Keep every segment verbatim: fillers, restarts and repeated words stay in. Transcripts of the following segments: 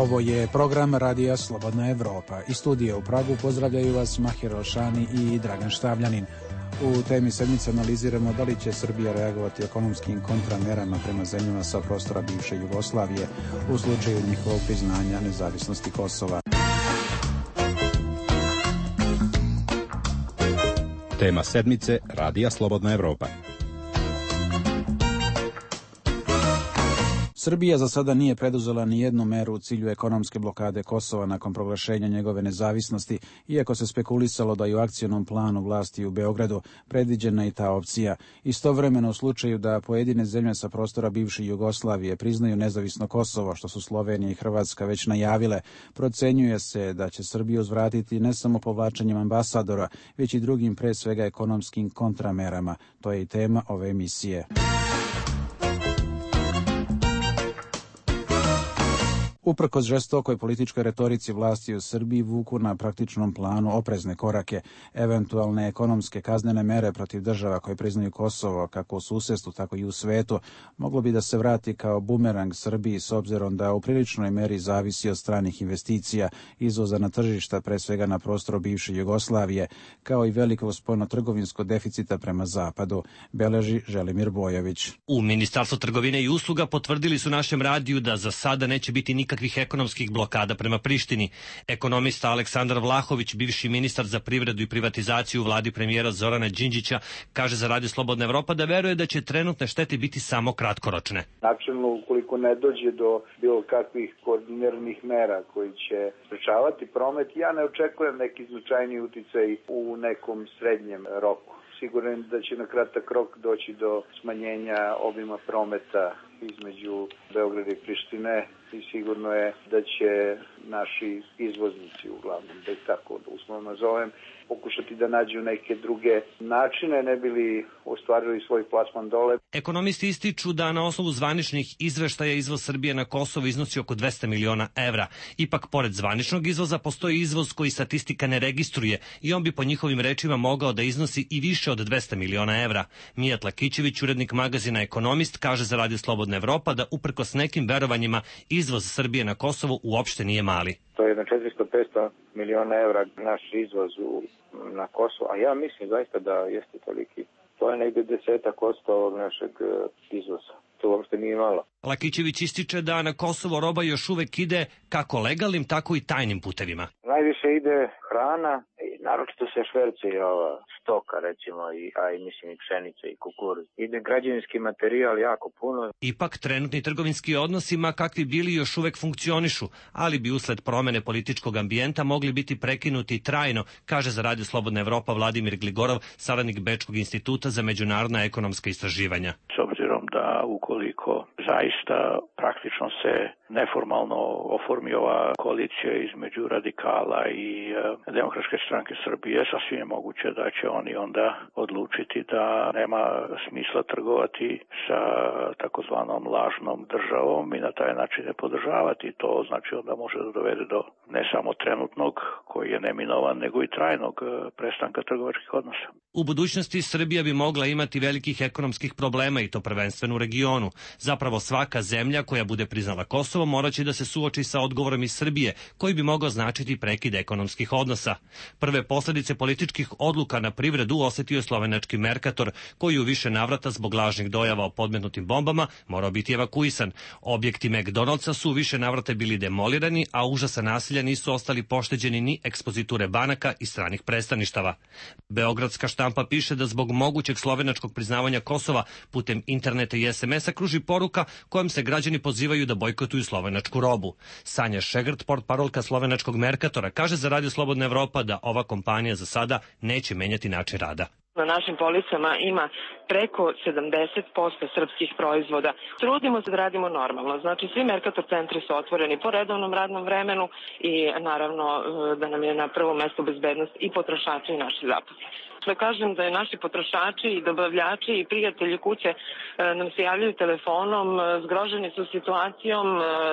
Ovo je program Radija Slobodna Evropa. Iz studija u Pragu pozdravljaju vas Mahir Alšani i Dragan Štavljanin. U temi sedmice analiziramo da li će Srbija reagovati ekonomskim kontramerama prema zemljama sa prostora bivše Jugoslavije u slučaju njihovog priznanja nezavisnosti Kosova. Tema sedmice Radija Slobodna Evropa. Srbija za sada nije preduzela ni jednu meru u cilju ekonomske blokade Kosova nakon proglašenja njegove nezavisnosti, iako se spekulisalo da i u akcionom planu vlasti u Beogradu predviđena i ta opcija. Istovremeno u slučaju da pojedine zemlje sa prostora bivše Jugoslavije priznaju nezavisno Kosovo, što su Slovenija i Hrvatska već najavile, procenjuje se da će Srbiju uzvratiti ne samo povlačenjem ambasadora, već i drugim pre svega ekonomskim kontramerama. To je i tema ove emisije. Uprkos žestokoj političkoj retorici vlasti u Srbiji vuku na praktičnom planu oprezne korake, eventualne ekonomske kaznene mere protiv država koje priznaju Kosovo, kako u susedstvu, tako i u svetu, moglo bi da se vrati kao bumerang Srbiji s obzirom da u priličnoj meri zavisi od stranih investicija, izvoza na tržišta, pre svega na prostoru bivše Jugoslavije, kao i velikog spoljno-trgovinskog deficita prema zapadu, beleži Želimir Bojović. U Ministarstvu trgovine i usluga potvrdili su našem radiju da za sada neće biti nikakvih ekonomskih blokada prema Prištini. Ekonomista Aleksandar Vlahović, bivši ministar za privredu i privatizaciju u vladi premijera Zorana Đinđića, kaže za Radio Slobodna Evropa da veruje da će trenutne štete biti samo kratkoročne. Načelno, ukoliko ne dođe do bilo kakvih koordiniranih mera koji će sprečavati promet, ja ne očekujem neki značajni uticaj u nekom srednjem roku. Siguran da će na kratak rok doći do smanjenja obima prometa između Beograda i Prištine i sigurno je da će naši izvoznici, uglavnom, da ih tako uslovno nazovem, pokušati da nađu neke druge načine, ne bili ostvarili svoj plasman dole. Ekonomisti ističu da na osnovu zvaničnih izveštaja izvoz Srbije na Kosovo iznosi oko dvesta miliona evra. Ipak, pored zvaničnog izvoza, postoji izvoz koji statistika ne registruje i on bi po njihovim rečima mogao da iznosi i više od dvesta miliona evra. Mijat Lakićević, urednik magazina Ekonomist, kaže za Radio Slobodna Evropa da uprkos nekim verovanjima izvoz Srbije na Kosovo uopšte nije mali. To je na četiristo do petsto miliona evra naš izvoz u, na Kosovo, a ja mislim zaista da jeste toliki. To je negde desetak odsto ovog našeg izvoza. To uopšte nije malo. Lakićević ističe da na Kosovo roba još uvek ide kako legalnim, tako i tajnim putevima. Najviše ide hrana, i naročito se šverce i ova stoka, recimo, i, a i mislim i pšenica i kukuruz. Ide građevinski materijal jako puno. Ipak trenutni trgovinski odnosima kakvi bili još uvek funkcionišu, ali bi usled promene političkog ambijenta mogli biti prekinuti trajno, kaže za Radio Slobodna Evropa Vladimir Gligorov, saradnik Bečkog instituta za međunarodna ekonomska istraživanja. S obzirom da ukoliko zaista praktično se neformalno oformi ova koalicija između radikala i e, Demokratske stranke Srbije, sasvim je moguće da će oni onda odlučiti da nema smisla trgovati sa takozvanom lažnom državom i na taj način je podržavati. To znači onda može da dovede do ne samo trenutnog, koji je neminovan, nego i trajnog prestanka trgovačkih odnosa. U budućnosti Srbija bi mogla imati velikih ekonomskih problema i to prvenstveno u regionu. Zapravo svaka zemlja koja bude priznala Kosovo morat će da se suoči sa odgovorom iz Srbije, koji bi mogao značiti prekid ekonomskih odnosa. Prve posledice političkih odluka na privredu osetio je slovenački Mercator, koji u više navrata zbog lažnih dojava o podmetnutim bombama morao biti evakuisan. Objekti McDonald'sa su u više navrata bili demolirani, a užasa nasilja nisu ostali pošteđeni ni ekspoziture banaka i stranih predstavništava. Beogradska štampa piše da zbog mogućeg slovenačkog priznavanja Kosova putem interneta i es em es-a kruži poruka kojom se građani pozivaju da bojkotuju slovenačku robu. Sanja Šegrt, portparolka slovenačkog Mercatora, kaže za Radio Slobodna Evropa da ova kompanija za sada neće menjati način rada. Na našim policama ima preko sedamdeset posto srpskih proizvoda. Trudimo se da radimo normalno. Znači, svi Mercator centri su otvoreni po redovnom radnom vremenu i naravno da nam je na prvom mestu bezbednost i potrošači i naši zaposleni. Da kažem da je naši potrošači i dobavljači i prijatelji kuće nam se javljaju telefonom, zgroženi su situacijom,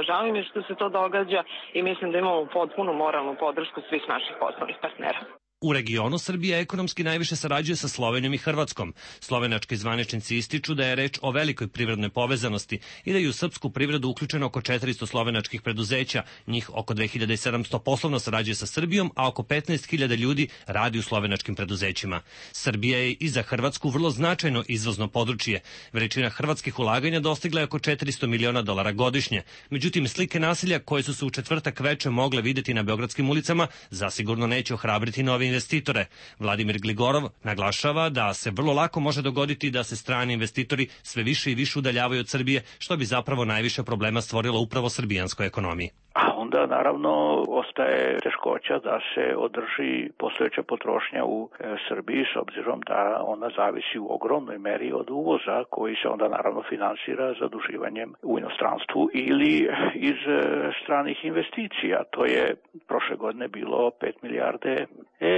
žao im je što se to događa i mislim da imamo potpunu moralnu podršku svih naših poslovnih partnera. U regionu Srbija ekonomski najviše sarađuje sa Slovenijom i Hrvatskom. Slovenački zvaničnici ističu da je reč o velikoj privrednoj povezanosti i da je u srpsku privredu uključeno oko četiristo slovenačkih preduzeća. Njih oko dve hiljade sedamsto poslovno sarađuje sa Srbijom, a oko petnaest hiljada ljudi radi u slovenačkim preduzećima. Srbija je i za Hrvatsku vrlo značajno izvozno područje. Veličina hrvatskih ulaganja dostigla je oko četiristo miliona dolara godišnje. Međutim, slike nasilja koje su se u četvrtak veče mogle videti na beogradskim ulicama zasigurno neće ohrabriti novi investitore. Vladimir Gligorov naglašava da se vrlo lako može dogoditi da se strani investitori sve više i više udaljavaju od Srbije, što bi zapravo najviše problema stvorilo upravo srbijanskoj ekonomiji. A onda naravno ostaje teškoća da se održi postojeća potrošnja u e, Srbiji, s obzirom da ona zavisi u ogromnoj meri od uvoza koji se onda naravno finansira zaduživanjem u inostranstvu ili iz e, stranih investicija. To je prošle godine bilo pet milijarde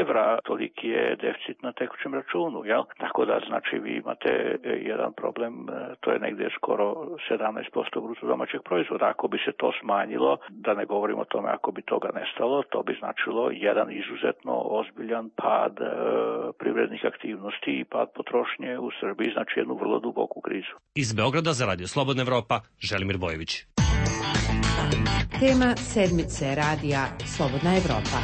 evra, toliki je deficit na tekućem računu, jel? Tako da znači vi imate e, jedan problem, e, to je negdje skoro sedamnaest posto bruto domaćeg proizvoda. Ako bi se to smanjilo, da ne govorimo o tome ako bi toga nestalo, to bi značilo jedan izuzetno ozbiljan pad e, privrednih aktivnosti i pad potrošnje u Srbiji, znači jednu vrlo duboku krizu. Iz Beograda za Radio Slobodna Evropa, Želimir Bojević. Tema sedmice Radija Slobodna Evropa.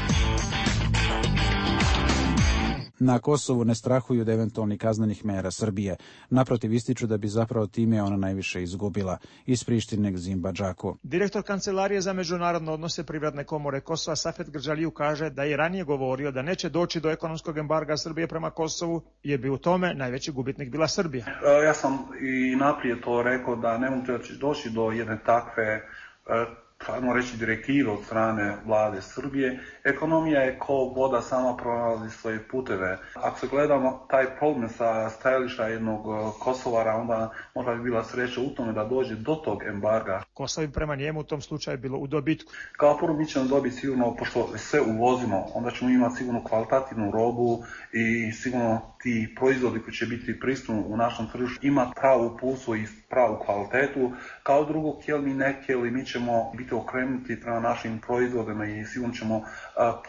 Na Kosovu ne strahuju od eventualnih kaznenih mera Srbije. Naprotiv, ističu da bi zapravo time ona najviše izgubila. Iz Prištine Gzim Badžaku. Direktor Kancelarije za međunarodne odnose Privredne komore Kosova Safet Grđaliju kaže da je ranije govorio da neće doći do ekonomskog embarga Srbije prema Kosovu, jer bi u tome najveći gubitnik bila Srbija. Ja sam i naprijed to rekao da ne mogu doći do jedne takve ajmo reći direktive od strane vlade Srbije. Ekonomija je kao voda, sama pronalazi svoje puteve. Ako se gledamo taj problem sa stajališta jednog Kosovara, onda možda bi bila sreća u tome da dođe do tog embarga. Kosovo bi prema njemu u tom slučaju bilo u dobitku. Kao prvo mi ćemo dobiti sigurno, pošto sve uvozimo, onda ćemo imati sigurno kvalitativnu robu i sigurno ti proizvodi koji će biti pristupni u našem tržištu ima pravu pulsu i pravu kvalitetu. Kao drugo, htjeli ne htjeli, mi ćemo biti okrenuti prema našim proizvodima i sigurno ćemo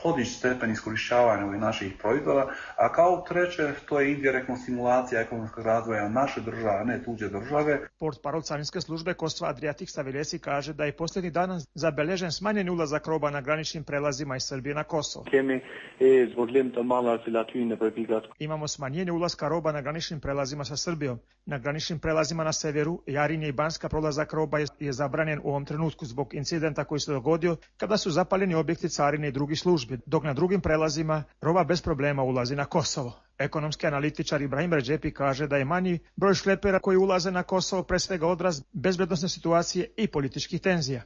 podići stepen iskorištavanja ovih naših proizvoda. A kao treće, to je indirektna simulacija ekonomskog razvoja naše države, a ne tuđe države. Portparol carinske službe Kosova Adriatik Stavilesi kaže da je posljednjih dana zabeležen smanjeni ulazak roba na graničnim prelazima iz Srbije na Kosovo. Imamo smanjenje ulaska roba na graničnim prelazima sa Srbijom. Na graničnim prelazima na severu, Jarinje i Banska, prolazak roba je, je zabranjen u ovom trenutku zbog incidenta koji se dogodio kada su zapaljeni objekti carine i drugih službi, dok na drugim prelazima roba bez problema ulazi na Kosovo. Ekonomski analitičar Ibrahim Redžepi kaže da je manji broj šlepera koji ulaze na Kosovo pre svega odraz bezbednosne situacije i političkih tenzija.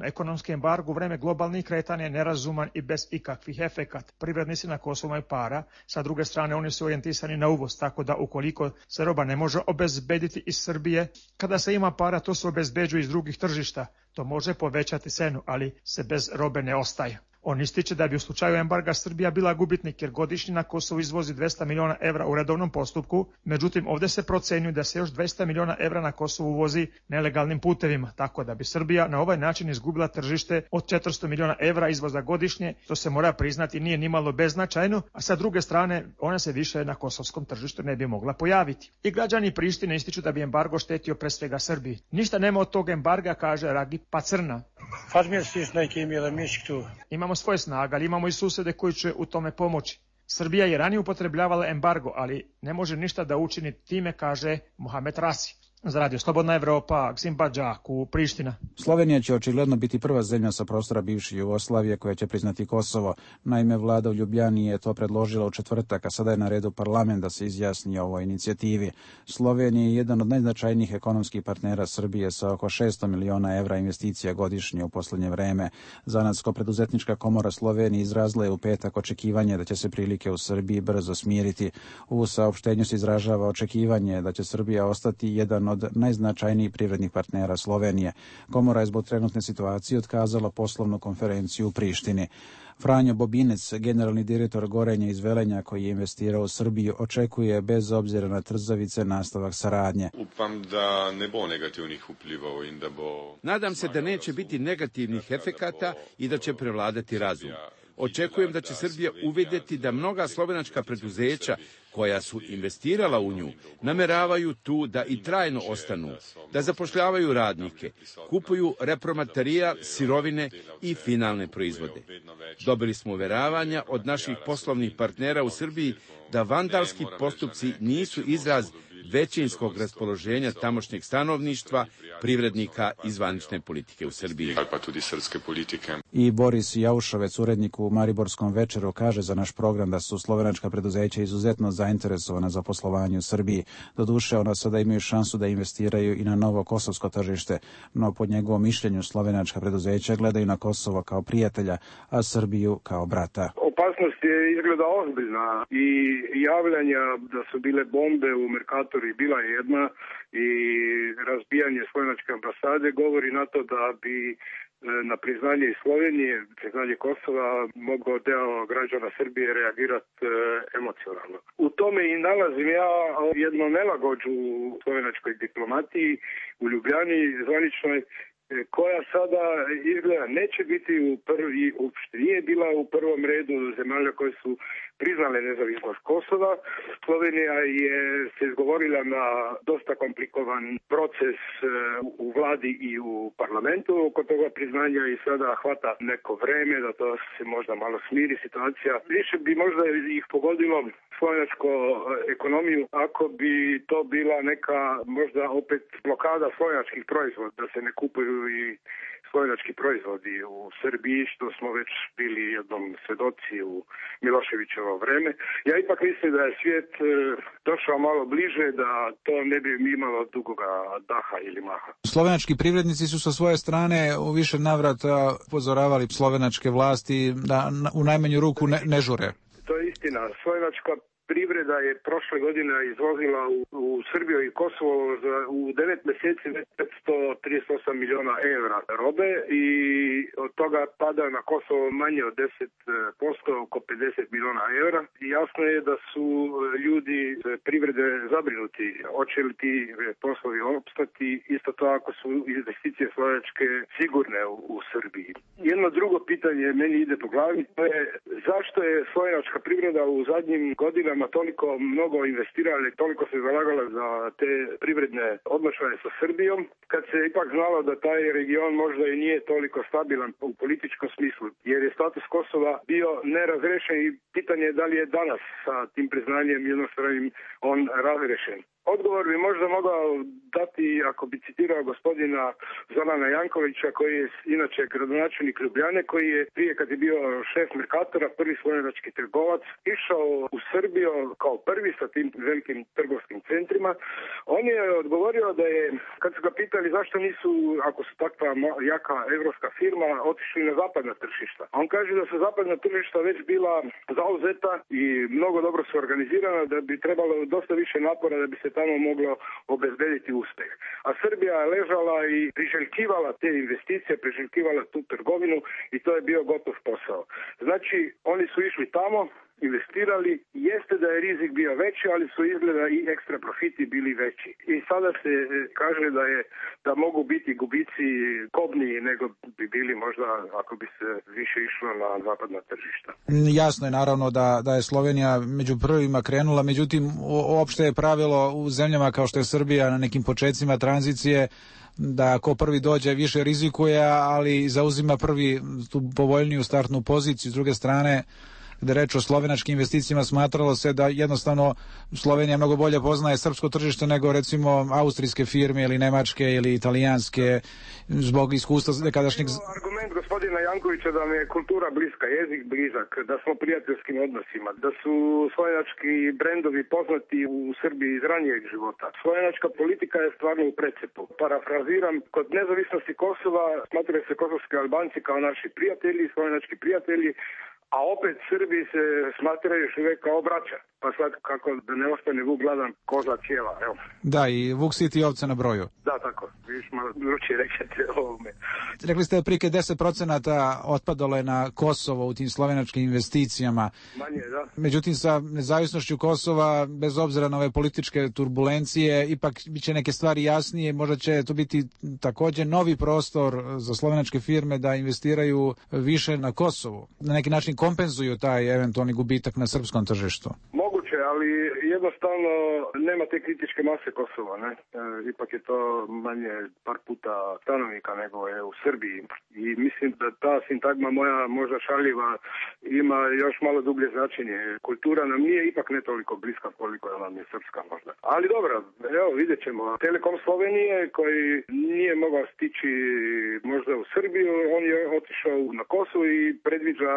Ekonomski embargo u vreme globalnih kretanja je nerazuman i bez ikakvih efekata. Privrednici na Kosovu imaju para, sa druge strane oni su orijentisani na uvoz, tako da ukoliko se roba ne može obezbediti iz Srbije, kada se ima para to se obezbeđuje iz drugih tržišta. To može povećati cenu, ali se bez robe ne ostaje. On ističe da bi u slučaju embarga Srbija bila gubitnik jer godišnje na Kosovo izvozi dvesta miliona evra u redovnom postupku, međutim ovdje se procenjuje da se još dvesta miliona evra na Kosovo uvozi nelegalnim putevima, tako da bi Srbija na ovaj način izgubila tržište od četiristo miliona evra izvoza godišnje, što se mora priznati nije nimalo beznačajno, a sa druge strane ona se više na kosovskom tržištu ne bi mogla pojaviti. I građani Prištine ističu da bi embargo štetio pre svega Srbiji. Ništa nema od tog embarga, kaže Ragip Pacrna. Imamo svoje snage, ali imamo i susede koji će u tome pomoći. Srbija je ranije upotrebljavala embargo, ali ne može ništa da učini time, kaže Mohamed Rasi. Za Radio Slobodna Evropa, Gzim Badžaku, Priština. Slovenija će očigledno biti prva zemlja sa prostora bivše Jugoslavije koja će priznati Kosovo. Naime, vlada u Ljubljani je to predložila u četvrtak, a sada je na redu parlament da se izjasni o ovoj inicijativi. Slovenija je jedan od najznačajnijih ekonomskih partnera Srbije sa oko šesto miliona evra investicija godišnje u posljednje vreme. Zanatsko-preduzetnička komora Slovenije izrazila je u petak očekivanje da će se prilike u Srbiji brzo smiriti. U saopštenju se izražava očekivanje da će Srbija ostati jedan od najznačajnijih privrednih partnera Slovenije. Komora je zbog trenutne situacije otkazala poslovnu konferenciju u Prištini. Franjo Bobinec, generalni direktor Gorenja iz Velenja koji je investirao u Srbiju, očekuje bez obzira na trzavice nastavak saradnje. Upam da ne bo negativnih vplivov in da bo... Nadam se da neće biti negativnih efekata i da će prevladati razum. Očekujem da će Srbija uvidjeti da mnoga slovenačka preduzeća koja su investirala u nju nameravaju tu da i trajno ostanu, da zapošljavaju radnike, kupuju repromaterijal, sirovine i finalne proizvode. Dobili smo uveravanja od naših poslovnih partnera u Srbiji da vandalski postupci nisu izraz većinskog raspoloženja tamošnjeg stanovništva, privrednika i zvanične politike u Srbiji. Pa tudi srpske politike. I Boris Jaušovec, urednik u Mariborskom večeru, kaže za naš program da su slovenačka preduzeća izuzetno zainteresovana za poslovanje u Srbiji. Doduše, ona sada imaju šansu da investiraju i na novo kosovsko tržište, no po njegovom mišljenju slovenačka preduzeća gledaju na Kosovo kao prijatelja, a Srbiju kao brata. Opasnost je izgleda ozbiljna i javljanja da su bile bombe u Merkatori bila je jedna i razbijanje slovenačke ambasade govori na to da bi na priznanje iz Slovenije, priznanje Kosova, mogao deo građana Srbije reagirati e, emocionalno. U tome i nalazim ja jednu nelagođu u slovenačkoj diplomatiji u Ljubljani zvaničnoj, koja sada izgleda neće biti u prvi, uopšte nije bila u prvom redu zemalja koje su priznale nezavisnost Kosova. Slovenija je se izgovorila na dosta komplikovan proces u vladi i u parlamentu oko toga priznanja i sada hvata neko vreme da to se možda malo smiri situacija. Više bi možda ih pogodilo slovenačku ekonomiju ako bi to bila neka možda opet blokada slovenačkih proizvoda, da se ne kupuju i slovenački proizvodi u Srbiji, što smo već bili jednom svedoci u Miloševićevo vreme. Ja ipak mislim da je svijet došao malo bliže, da to ne bi imalo dugoga daha ili maha. Slovenački privrednici su sa svoje strane u više navrata upozoravali slovenačke vlasti da u najmanju ruku ne, ne žure. To je istina. Slovenačka privreda je prošle godine izvozila u, u Srbiju i Kosovo za, u devet mjeseci petsto trideset osam miliona evra robe i od toga pada na Kosovo manje od deset posto, oko pedeset miliona evra. I jasno je da su ljudi privrede zabrinuti. Hoće li ti poslovi opstati, isto to ako su investicije slovenačke sigurne u, u Srbiji. Jedno drugo pitanje meni ide po glavi, to je zašto je slovenačka privreda u zadnjim godinama toliko mnogo investirala i toliko se zalagala za te privredne odnošaje sa Srbijom, kad se ipak znalo da taj region možda i nije toliko stabilan u političkom smislu, jer je status Kosova bio nerazrešen i pitanje je da li je danas sa tim priznanjem jednostranim on razrešen. Odgovor bi možda mogao dati, ako bi citirao gospodina Zorana Jankovića, koji je inače gradonačelnik Ljubljane, koji je prije kad je bio šef Merkatora, prvi slovenački trgovac, išao u Srbiju kao prvi sa tim velikim trgovskim centrima. On je odgovorio da je, kad su ga pitali zašto nisu, ako su takva jaka evropska firma, otišli na zapadna tržišta. On kaže da su zapadna tržišta već bila zauzeta i mnogo dobro su organizirana, da bi trebalo dosta više napora da bi se tamo moglo obezbediti uspeh. A Srbija je ležala i priželjkivala te investicije, priželjkivala tu trgovinu i to je bio gotov posao. Znači, oni su išli tamo, investirali, jeste da je rizik bio veći, ali su izgleda i ekstra profiti bili veći. I sada se kaže da je da mogu biti gubici kobniji nego bi bili možda ako bi se više išlo na zapadna tržišta. Jasno je naravno da, da je Slovenija među prvima krenula, međutim uopšte je pravilo u zemljama kao što je Srbija na nekim početcima tranzicije da ko prvi dođe više rizikuje, ali zauzima prvi tu povoljniju startnu poziciju. S druge strane, gde reč o slovenačkim investicijama, smatralo se da jednostavno Slovenija mnogo bolje poznaje srpsko tržište nego recimo austrijske firme ili nemačke ili italijanske zbog iskustva nekadašnjeg... Argument gospodina Jankovića da mi je kultura bliska, jezik blizak, da smo u prijateljskim odnosima, da su slovenački brendovi poznati u Srbiji iz ranijeg života. Slovenačka politika je stvarno u precepu. Parafraziram, kod nezavisnosti Kosova smatraju se kosovski Albanci kao naši prijatelji, slovenački prijatelji, a opet Srbi se smatraju još uvijek kao braća. Pa sad kako da ne ostane vuk gladan koza cijela, evo. Da, i vuk siti ovce na broju. Da, tako. Viš malo drugačije rekete ovome. Rekli ste otprilike deset procenata otpadalo je na Kosovo u tim slovenačkim investicijama. Manje, da. Međutim, sa nezavisnošću Kosova, bez obzira na ove političke turbulencije, ipak biće neke stvari jasnije. Možda će to biti također novi prostor za slovenačke firme da investiraju više na Kosovu. Na neki način kompenzuju taj eventualni gubitak na srpskom tržištu. Moguće, ali jednostavno nema te kritičke mase Kosova, ne? E, ipak je to manje par puta stanovnika nego je u Srbiji. I mislim da ta sintagma moja možda šaljiva ima još malo dublje značenje. Kultura nam nije ipak ne toliko bliska koliko nam je srpska možda. Ali dobro, evo vidjet ćemo. Telekom Slovenije koji nije mogao stići možda u Srbiju, on je otišao na Kosovo i predviđa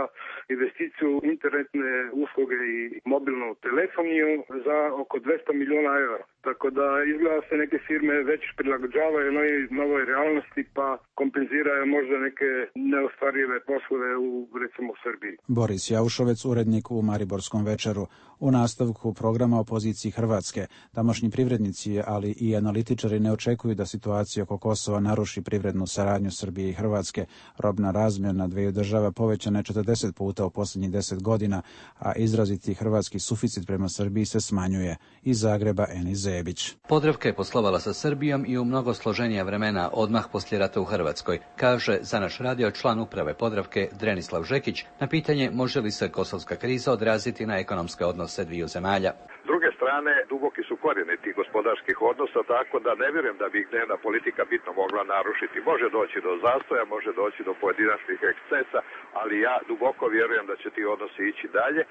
investiciju internetne usluge i mobilnu telefoniju za oko dvesta miliona eura. Tako da izgleda se neke firme već prilagođavaju novoj, novoj realnosti pa kompenziraju možda neke neostvarive poslove u recimo u Srbiji. Boris Jaušovec, urednik u Mariborskom večeru. U nastavku programa o poziciji Hrvatske, tamošnji privrednici, ali i analitičari ne očekuju da situacija oko Kosova naruši privrednu saradnju Srbije i Hrvatske. Robna razmjena dveju država povećana je četrdeset puta u posljednjih deset godina, a izraziti hrvatski suficit prema Srbiji se smanjuje. Iz Zagreba Enis Zebić. Podravka je poslovala sa Srbijom i u mnogo složenija vremena odmah poslije rata u Hrvatskoj, kaže za naš radio član uprave Podravke Drenislav Žekić na pitanje može li se kosovska kriza odraziti na ekonomske odnose dviju zemalja. S druge strane, duboki su korijeni tih gospodarskih odnosa, tako da ne vjerujem da bi ih dnevna politika bitno mogla narušiti. Može doći do zastoja, može doći do pojedinačnih ekscesa, ali ja duboko vjerujem da će ti odnosi ići dalje.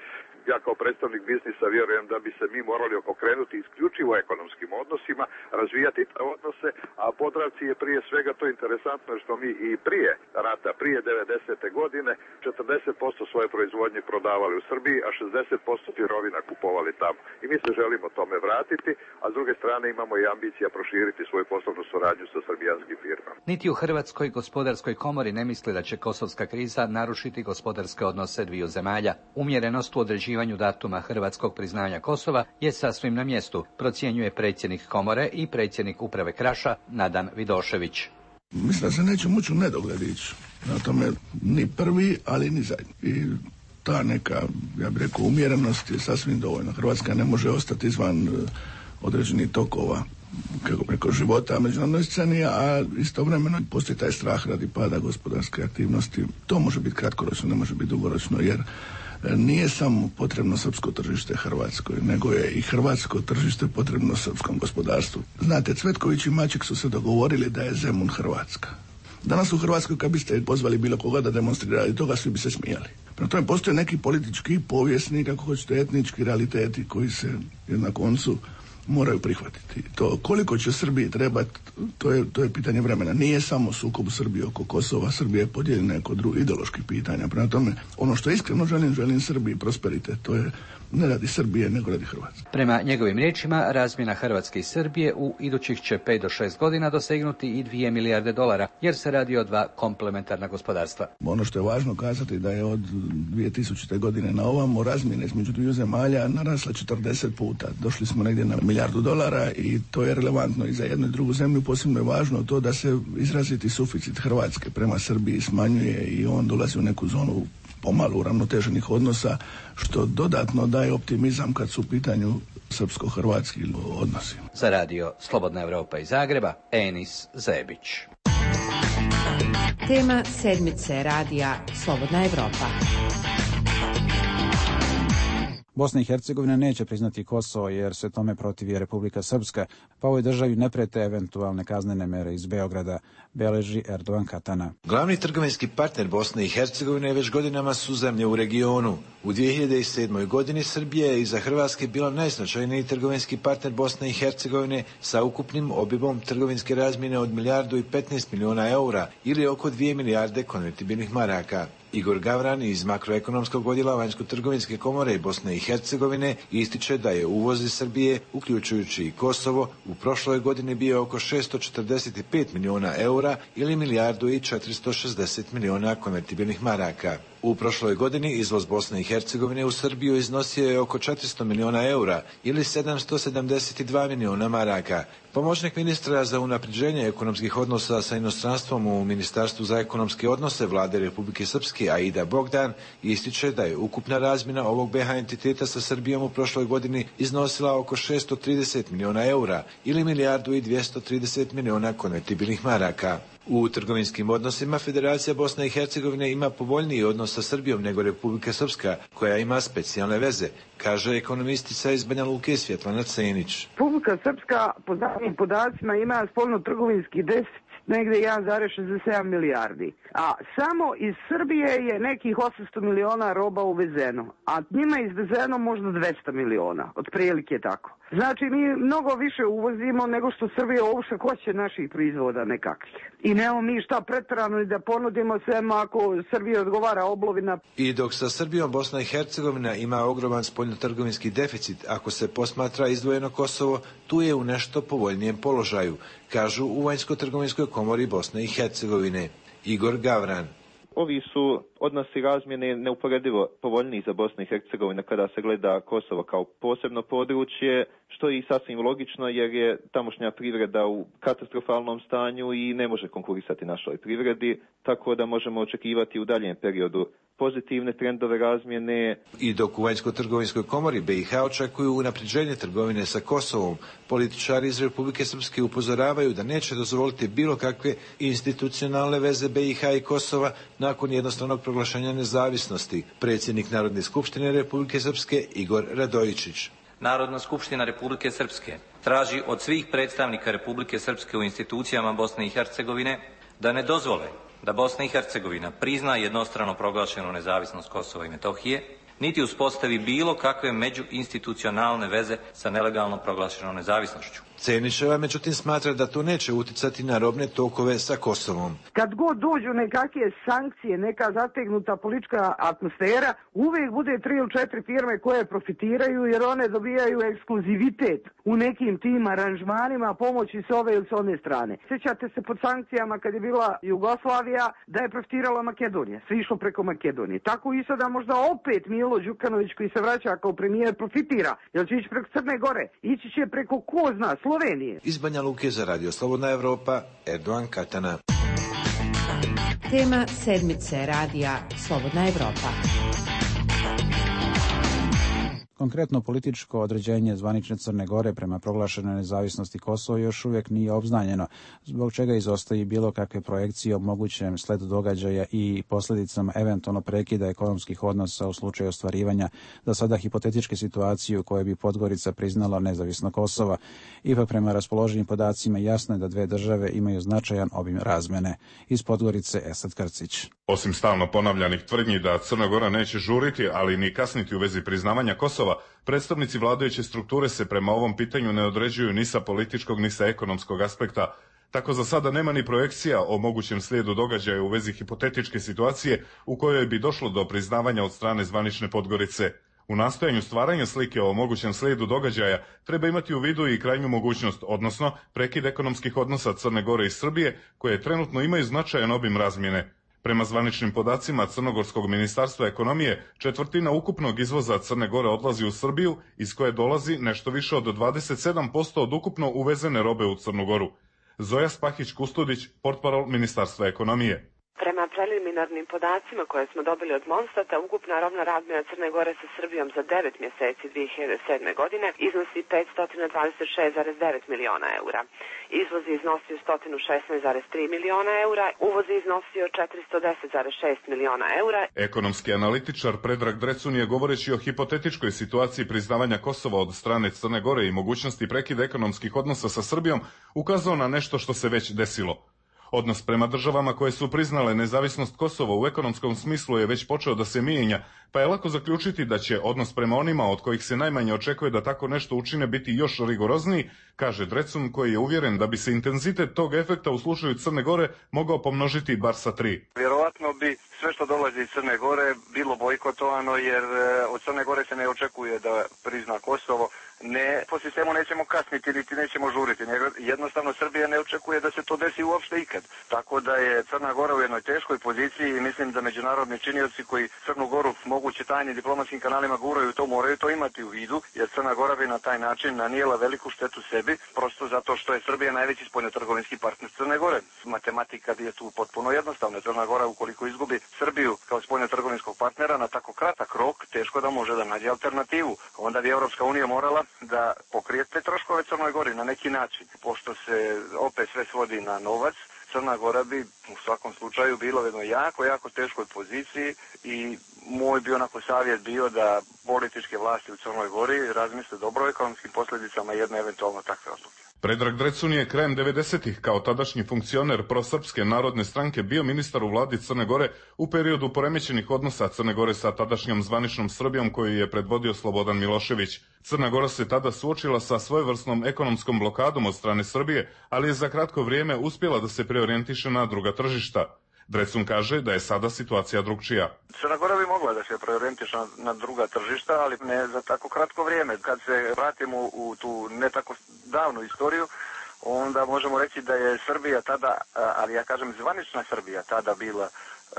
Ja kao predstavnik biznisa vjerujem da bi se mi morali okrenuti isključivo ekonomskim odnosima, razvijati te odnose, a Podravci je prije svega to interesantno što mi i prije rata, prije devedesete godine, četrdeset posto svoje proizvodnje prodavali u Srbiji, a šezdeset posto sirovina kupovali tamo. I mi se želimo tome vratiti, a s druge strane imamo i ambicija proširiti svoju poslovnu suradnju sa srbijanskim firmama. Niti u Hrvatskoj gospodarskoj komori ne misli da će kosovska kriza narušiti gospodarske odnose dviju zemalja. Umjerenost u određivanju datuma hrvatskog priznanja Kosova je sasvim na mjestu, procjenjuje predsjednik komore i predsjednik uprave Kraša Nadan Vidošević. Mislim da se neće moći u nedogled ići. Na tome ni prvi, ali ni zadnji. I ta neka, ja bih rekao, umjerenost je sasvim dovoljna. Hrvatska ne može ostati izvan određenih tokova, kako bi rekao, života međunarodnoj sceni, a istovremeno postoji taj strah radi pada gospodarske aktivnosti. To može biti kratkoročno, ne može biti dugoročno, jer nije samo potrebno srpsko tržište Hrvatskoj, nego je i hrvatsko tržište potrebno srpskom gospodarstvu. Znate, Cvetković i Maček su se dogovorili da je Zemun Hrvatska. Danas u Hrvatskoj kad biste pozvali bilo koga da demonstrira i toga, svi bi se smijali. Prema tome postoje neki politički, povijesni, kako hoćete, etnički realiteti koji se na koncu moraju prihvatiti. To koliko će Srbiji trebati, to je, to je pitanje vremena. Nije samo sukob Srbije oko Kosova, Srbija je podijeljena oko drugih ideoloških pitanja. Prema tome, ono što iskreno želim, želim Srbiji prosperitet, to je ne radi Srbije, nego radi Hrvatske. Prema njegovim riječima, razmjena Hrvatske i Srbije u idućih će pet do šest godina dosegnuti i dvije milijarde dolara, jer se radi o dva komplementarna gospodarstva. Ono što je važno kazati da je od dvije tisućite godine na ovamo razmjene između dviju zemalja narasla četrdeset puta. Došli smo negdje na milijardu dolara i to je relevantno i za jednu i drugu zemlju. Posebno je važno to da se izraziti suficit Hrvatske prema Srbiji smanjuje i on dolazi u neku zonu pomalo uravnoteženih odnosa, što dodatno daje optimizam kad su u pitanju srpsko-hrvatski odnosi. Za radio Slobodna Evropa iz Zagreba, Enis Zebić. Tema sedmice radija Slobodna Evropa. Bosna i Hercegovina neće priznati Kosovo jer se tome protivi Republika Srpska, pa ovoj državi ne prete eventualne kaznene mere iz Beograda, beleži Erdogan Katana. Glavni trgovinski partner Bosne i Hercegovine već godinama su zemlje u regionu. U dvije hiljade sedmoj. godini Srbija je iza Hrvatske bila najznačajniji trgovinski partner Bosne i Hercegovine sa ukupnim obimom trgovinske razmjene od milijardu i petnaest miliona eura ili oko dvije milijarde konvertibilnih maraka. Igor Gavran iz makroekonomskog odjela Vanjsko-trgovinske komore Bosne i Hercegovine ističe da je uvoz iz Srbije, uključujući i Kosovo, u prošloj godini bio oko šesto četrdeset pet miliona eura ili milijardu i četiristo šezdeset miliona konvertibilnih maraka. U prošloj godini izvoz Bosne i Hercegovine u Srbiju iznosio je oko četiristo miliona eura ili sedamsto sedamdeset dva miliona maraka. Pomoćnik ministra za unapređenje ekonomskih odnosa sa inostranstvom u Ministarstvu za ekonomske odnose Vlade Republike Srpske Aida Bogdan ističe da je ukupna razmjena ovog B H entiteta sa Srbijom u prošloj godini iznosila oko šessto trideset miliona eura ili milijardu i dvjesto trideset miliona konvertibilnih maraka. U trgovinskim odnosima Federacija Bosne i Hercegovine ima povoljniji odnos sa Srbijom nego Republika Srpska, koja ima specijalne veze, kaže ekonomistica iz Banja Luke Svjetlana Cenić. Republika Srpska po zadnjim podacima ima spoljno-trgovinski deficit negde jedan zarez šezdeset sedam milijardi. A samo iz Srbije je nekih osamsto miliona roba uvezeno, a njima je izvezeno možda dvesta miliona, otprilike tako. Znači mi mnogo više uvozimo nego što Srbija uopšte hoće naših proizvoda nekakvih. I nemamo mi šta preterano i da ponudimo svema ako Srbija odgovara oblovina. I dok sa Srbijom Bosna i Hercegovina ima ogroman spoljnotrgovinski deficit, ako se posmatra izdvojeno Kosovo, tu je u nešto povoljnijem položaju, kažu u Vanjsko-trgovinskoj komori Bosne i Hercegovine. Igor Gavran. Ovi su odnosi razmjene neuporedivo povoljniji za Bosnu i Hercegovinu kada se gleda Kosovo kao posebno područje, što je i sasvim logično jer je tamošnja privreda u katastrofalnom stanju i ne može konkurisati našoj privredi, tako da možemo očekivati u daljem periodu pozitivne trendove razmjene. I dok u Vanjsko-trgovinskoj komori B i H očekuju unapređenje trgovine sa Kosovom, političari iz Republike Srpske upozoravaju da neće dozvoliti bilo kakve institucionalne veze B i H i Kosova nakon jednostavnog proglašenja nezavisnosti. Predsjednik Narodne skupštine Republike Srpske Igor Radojičić. Narodna skupština Republike Srpske traži od svih predstavnika Republike Srpske u institucijama Bosne i Hercegovine da ne dozvole da Bosna i Hercegovina prizna jednostrano proglašenu nezavisnost Kosova i Metohije, niti uspostavi bilo kakve međuinstitucionalne veze sa nelegalno proglašenom nezavisnošću. Ceniševa međutim smatra da to neće uticati na robne tokove sa Kosovom. Kad god dođu nekakve sankcije, neka zategnuta politička atmosfera, uvijek bude tri ili četiri firme koje profitiraju jer one dobijaju ekskluzivitet u nekim tim aranžmanima pomoći s ove ili s one strane. Sjećate se pod sankcijama kad je bila Jugoslavija da je profitirala Makedonija, sve išlo preko Makedonije. Tako i sada možda opet Milo Đukanović koji se vraća kao premijer profitira, jer će ići preko Crne Gore, ići će preko ko zna, Slovenije. Iz Banja Luke za Radio Slobodna Evropa, Erdogan Katana. Tema sedmice radija Slobodna Evropa. Konkretno političko određenje zvanične Crne Gore prema proglašenoj nezavisnosti Kosova još uvijek nije obznanjeno, zbog čega izostaje bilo kakve projekcije o mogućem sledu događaja i posljedicama eventualno prekida ekonomskih odnosa u slučaju ostvarivanja za sada hipotetičke situacije u kojoj bi Podgorica priznala nezavisno Kosova. Ipak prema raspoloženim podacima jasno je da dve države imaju značajan obim razmene. Iz Podgorice Esad Krcić. Osim stalno ponavljanih tvrdnji da Crna Gora neće žuriti, ali ni kasniti u vezi priznavanja Kosova, predstavnici vladajuće strukture se prema ovom pitanju ne određuju ni sa političkog ni sa ekonomskog aspekta. Tako za sada nema ni projekcija o mogućem slijedu događaja u vezi hipotetičke situacije u kojoj bi došlo do priznavanja od strane zvanične Podgorice. U nastojanju stvaranja slike o mogućem slijedu događaja treba imati u vidu i krajnju mogućnost, odnosno prekid ekonomskih odnosa Crne Gore i Srbije, koje trenutno imaju značajan obim razmjene. Prema zvaničnim podacima Crnogorskog ministarstva ekonomije, četvrtina ukupnog izvoza Crne Gore odlazi u Srbiju, iz koje dolazi nešto više od dvadeset sedam posto od ukupno uvezene robe u Crnu Goru. Zoja Spahić-Kustudić, portparol Ministarstva ekonomije. Prema preliminarnim podacima koje smo dobili od Monstata, ukupna robna razmjena Crne Gore sa Srbijom za devet mjeseci dvije hiljade sedme. godine iznosi petsto dvadeset šest zarez devet miliona eura. Izvoz je iznosio sto šesnaest zarez tri miliona eura, uvoz je iznosio četiristo deset zarez šest miliona eura. Ekonomski analitičar Predrag Drecun je, govoreći o hipotetičkoj situaciji priznavanja Kosova od strane Crne Gore i mogućnosti prekida ekonomskih odnosa sa Srbijom, ukazao na nešto što se već desilo. Odnos prema državama koje su priznale nezavisnost Kosova u ekonomskom smislu je već počeo da se mijenja, pa je lako zaključiti da će odnos prema onima od kojih se najmanje očekuje da tako nešto učine biti još rigorozniji, kaže Drecun, koji je uvjeren da bi se intenzitet tog efekta u slučaju Crne Gore mogao pomnožiti bar sa tri. Vjerovatno bi sve što dolazi iz Crne Gore bilo bojkotovano, jer od Crne Gore se ne očekuje da prizna Kosovo. Ne, po sistemu nećemo kasniti, niti nećemo žuriti. Jednostavno Srbija ne očekuje da se to desi uopšte ikad. Tako da je Crna Gora u jednoj teškoj poziciji i mislim da međunarodni činioci koji Crnu Goru moguće tajnim diplomatskim kanalima guraju to, moraju to imati u vidu, jer Crna Gora bi na taj način nanijela veliku štetu sebi, prosto zato što je Srbija najveći spoljnotrgovinski partner Crne Gore. Matematika je tu potpuno jednostavna. Crna Gora ukoliko izgubi Srbiju kao spoljnotrgovinskog partnera na tako kratak rok, teško da može da nađe alternativu. Onda bi Evropska unija morala da pokrije te troškove Crnoj Gori na neki način. Pošto se opet sve svodi na novac, Crna Gora bi u svakom slučaju bilo u jednoj jako, jako teškoj poziciji i moj bi onako savjet bio da političke vlasti u Crnoj Gori razmisle dobro o ekonomskim posljedicama jedne eventualno takve odluke. Predrag Drecun je krajem devedesetih kao tadašnji funkcioner prosrpske narodne stranke bio ministar u vladi Crne Gore u periodu poremećenih odnosa Crne Gore sa tadašnjom zvaničnom Srbijom koju je predvodio Slobodan Milošević. Crna Gora se tada suočila sa svojevrsnom ekonomskom blokadom od strane Srbije, ali je za kratko vrijeme uspjela da se preorijentiše na druga tržišta. Drecun kaže da je sada situacija drugčija. Crna Gora bi mogla da se preorijentiše na, na druga tržišta, ali ne za tako kratko vrijeme. Kad se vratimo u tu ne tako davnu istoriju, onda možemo reći da je Srbija tada, ali ja kažem zvanična Srbija, tada bila uh,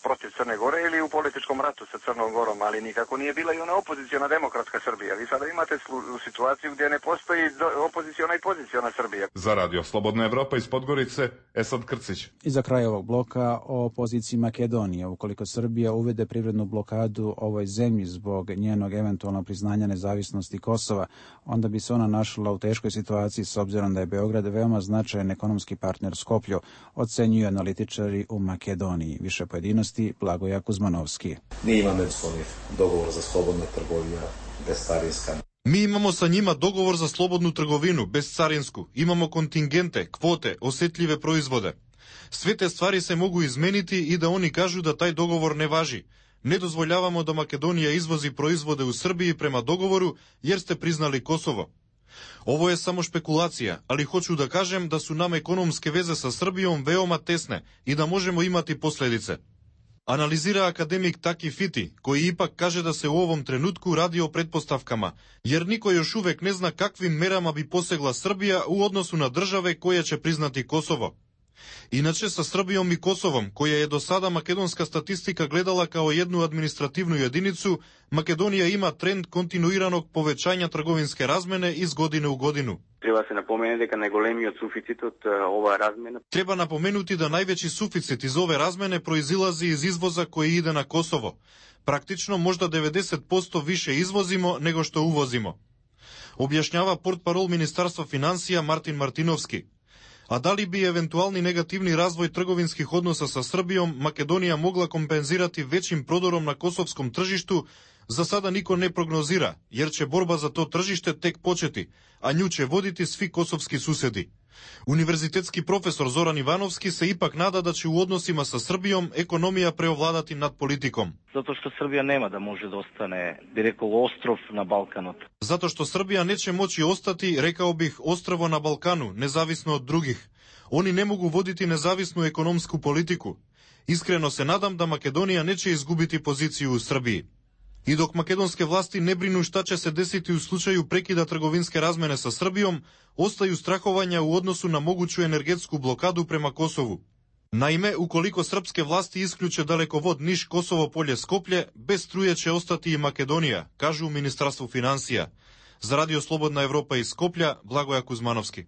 protiv Crne Gore ili u političkom ratu sa Crnom Gorom, ali nikako nije bila i ona opoziciona demokratska Srbija. Vi sada imate slu, situaciju gdje ne postoji opoziciona i poziciona Srbija. Za Radio Slobodna Evropa iz Podgorice, Esad Krcić. I za kraj ovog bloka o poziciji Makedonije. Ukoliko Srbija uvede privrednu blokadu ovoj zemlji zbog njenog eventualnog priznanja nezavisnosti Kosova, onda bi se ona našla u teškoj situaciji s obzirom da je Beograd veoma značajan ekonomski partner Skoplju, ocenjuju analitičari u Makedoniji. Više pojedinosti Blagoja Kuzmanovski. Nije ima međusobnih dogovor za slobodnu trgovinu bez carinska. Mi imamo sa njima dogovor za slobodnu trgovinu bez carinsku. Imamo kontingente, kvote, osjetljive proizvode. Sve te stvari se mogu izmeniti i da oni kažu da taj dogovor ne važi. Ne dozvoljavamo da Makedonija izvozi proizvode u Srbiji prema dogovoru jer ste priznali Kosovo. Ovo je samo špekulacija, ali hoću da kažem da su nam ekonomske veze sa Srbijom veoma tesne i da možemo imati posljedice. Analizira akademik Taki Fiti, koji ipak kaže da se u ovom trenutku radi o pretpostavkama, jer niko još uvek ne zna kakvim merama bi posegla Srbija u odnosu na države koje će priznati Kosovo. Inače, sa Srbijom i Kosovom, koja je do sada makedonska statistika gledala kao jednu administrativnu jedinicu, Makedonija ima trend kontinuiranog povećanja trgovinske razmene iz godine u godinu. Treba se napomenuti da najgolemijo suficit od ova razmena. Treba napomenuti da najveći suficit iz ove razmene proizilazi iz izvoza koji ide na Kosovo. Praktično možda devedeset posto više izvozimo nego što uvozimo. Objašnjava portparol Ministarstva financija Martin Martinovski. A da li bi eventualni negativni razvoj trgovinskih odnosa sa Srbijom Makedonija mogla kompenzirati većim prodorom na kosovskom tržištu, za sada niko ne prognozira, jer će borba za to tržište tek početi, a nju će voditi svi kosovski susjedi. Univerzitetski profesor Zoran Ivanovski se ipak nada da će u odnosima sa Srbijom ekonomija preovladati nad politikom. Zato što Srbija nema da može da ostane, bi rekao, ostrov na Balkanu. Zato što Srbija neće moći ostati, rekao bih, ostrvo na Balkanu, nezavisno od drugih. Oni ne mogu voditi nezavisnu ekonomsku politiku. Iskreno se nadam da Makedonija neće izgubiti poziciju u Srbiji. I dok makedonske vlasti ne brinu šta će se desiti u slučaju prekida trgovinske razmene sa Srbijom, ostaju strahovanja u odnosu na moguću energetsku blokadu prema Kosovu. Naime, ukoliko srpske vlasti isključe dalekovod Niš-Kosovo-Polje-Skoplje, bez struje će ostati i Makedonija, kažu u Ministarstvu financija. Za Radio Slobodna Evropa iz Skoplja, Blagoja Kuzmanovski.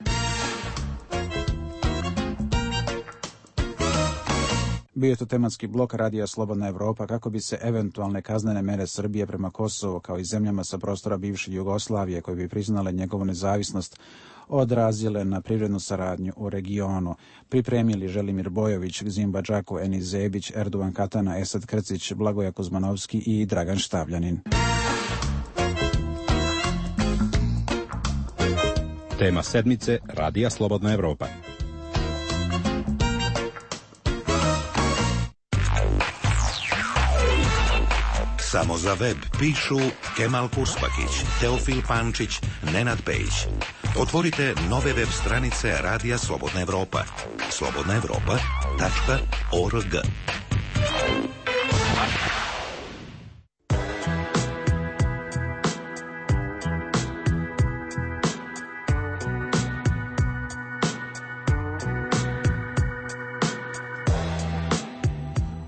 Bio je to tematski blok Radija Slobodna Evropa kako bi se eventualne kaznene mere Srbije prema Kosovu kao i zemljama sa prostora bivše Jugoslavije koje bi priznale njegovu nezavisnost odrazile na privrednu saradnju u regionu. Pripremili Želimir Bojović, Zimba Džaku, Enis Zebić, Erdovan Katana, Esad Krcić, Blagoja Kuzmanovski i Dragan Štavljanin. Tema sedmice Radija Slobodna Evropa. Samo za web pišu Kemal Purspakić, Teofil Pančić, Nenad Pejić. Otvorite nove web stranice Radija Slobodna Evropa. slobodna evropa tačka org.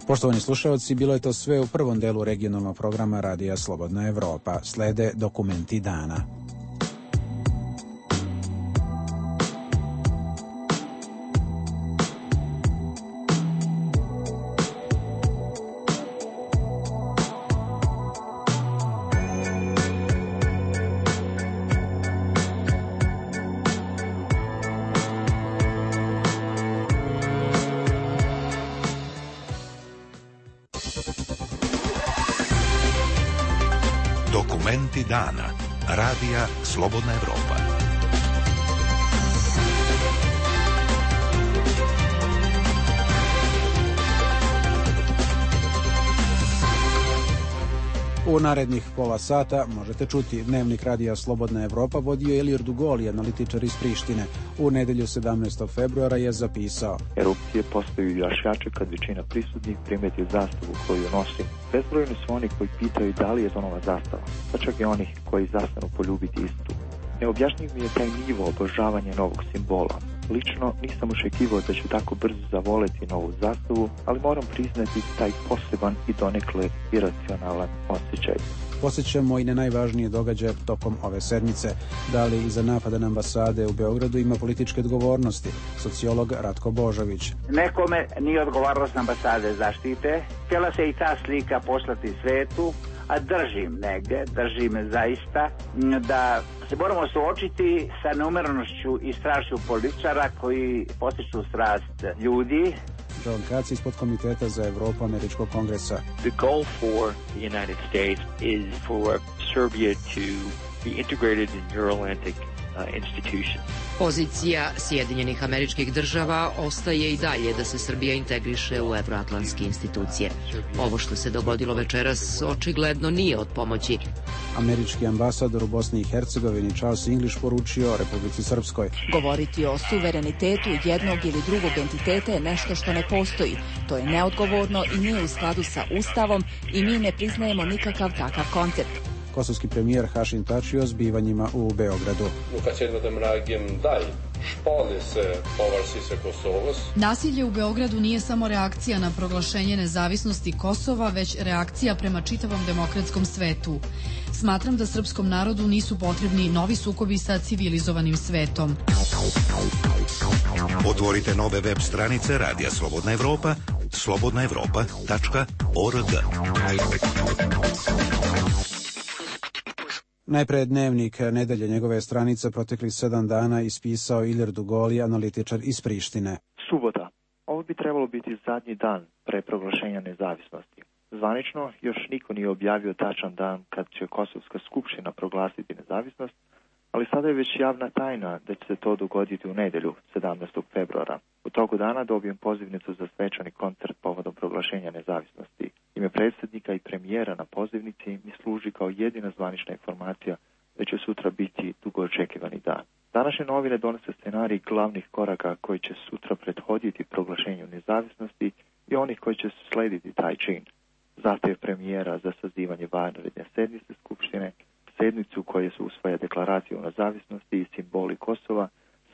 Poštovani slušalci, bilo je to sve u prvom delu regionalnog programa Radija Slobodna Evropa. Slede dokumenti dana. Dokumenti dana. Radija Slobodna Evropa. U narednih pola sata možete čuti dnevnik Radija Slobodna Evropa vodio Ilir Dugoli, analitičar iz Prištine. U nedelju sedamnaestog februara je zapisao: Erupcije postaju još jače kad većina prisutnih primeti zastavu koju nosi. Bezbrojni su oni koji pitaju da li je to nova zastava, pa čak i onih koji zastanu poljubiti istu. Neobjašnjiv mi je taj nivo obožavanja novog simbola. Lično nisam očekivao da ću tako brzo zavoleti novu zastavu, ali moram priznati taj poseban i donekle iracionalan osjećaj. Posjećamo i na najvažnije događaje tokom ove sedmice. Da li iza napada na ambasade u Beogradu ima političke odgovornosti? Sociolog Ratko Božović. Nekome nije odgovornost ambasade zaštite. Htjela se i ta slika poslati svetu, a držim negde, držim zaista, da se moramo suočiti sa neumjerenošću i strašću političara koji postiču strast ljudi. John Katz iz podkomiteta za Evropu Američkog kongresa. The goal for the United States is for Serbia to be integrated in Euro-Atlantic uh, institutions. Pozicija Sjedinjenih Američkih Država ostaje i dalje da se Srbija integriše u evroatlantske institucije. Ovo što se dogodilo večeras očigledno nije od pomoći. Američki ambasador u Bosni i Hercegovini Charles English poručio Republici Srpskoj: Govoriti o suverenitetu jednog ili drugog entiteta je nešto što ne postoji. To je neodgovorno i nije u skladu sa Ustavom i mi ne priznajemo nikakav takav koncept. Kosovski premijer Hašim Tači o zbivanjima u Beogradu. Nasilje u Beogradu nije samo reakcija na proglašenje nezavisnosti Kosova, već reakcija prema čitavom demokratskom svetu. Smatram da srpskom narodu nisu potrebni novi sukobi sa civilizovanim svetom. Otvorite nove web stranice Radija Slobodna Evropa, slobodna evropa tačka org. Najpre dnevnik nedelje, njegove stranice proteklih sedam dana ispisao Ilir Dugoli, analitičar iz Prištine. Subota. Ovo bi trebalo biti zadnji dan pre proglašenja nezavisnosti. Zvanično još niko nije objavio tačan dan kad će Kosovska skupština proglasiti nezavisnost, ali sada je već javna tajna da će se to dogoditi u nedelju, sedamnaestog februara. U toku dana dobijem pozivnicu za svečani koncert povodom proglašenja nezavisnosti. Ime predsjednika i premijera na pozivnici mi služi kao jedina zvanična informacija da će sutra biti dugo očekivani dan. Današnje novine donose scenarij glavnih koraka koji će sutra prethoditi proglašenju nezavisnosti i onih koji će slediti taj čin. Zahtjev premijera za sazivanje vanredne sednice Skupštine, sednicu koje su usvaja deklaraciju o nezavisnosti i simboli Kosova,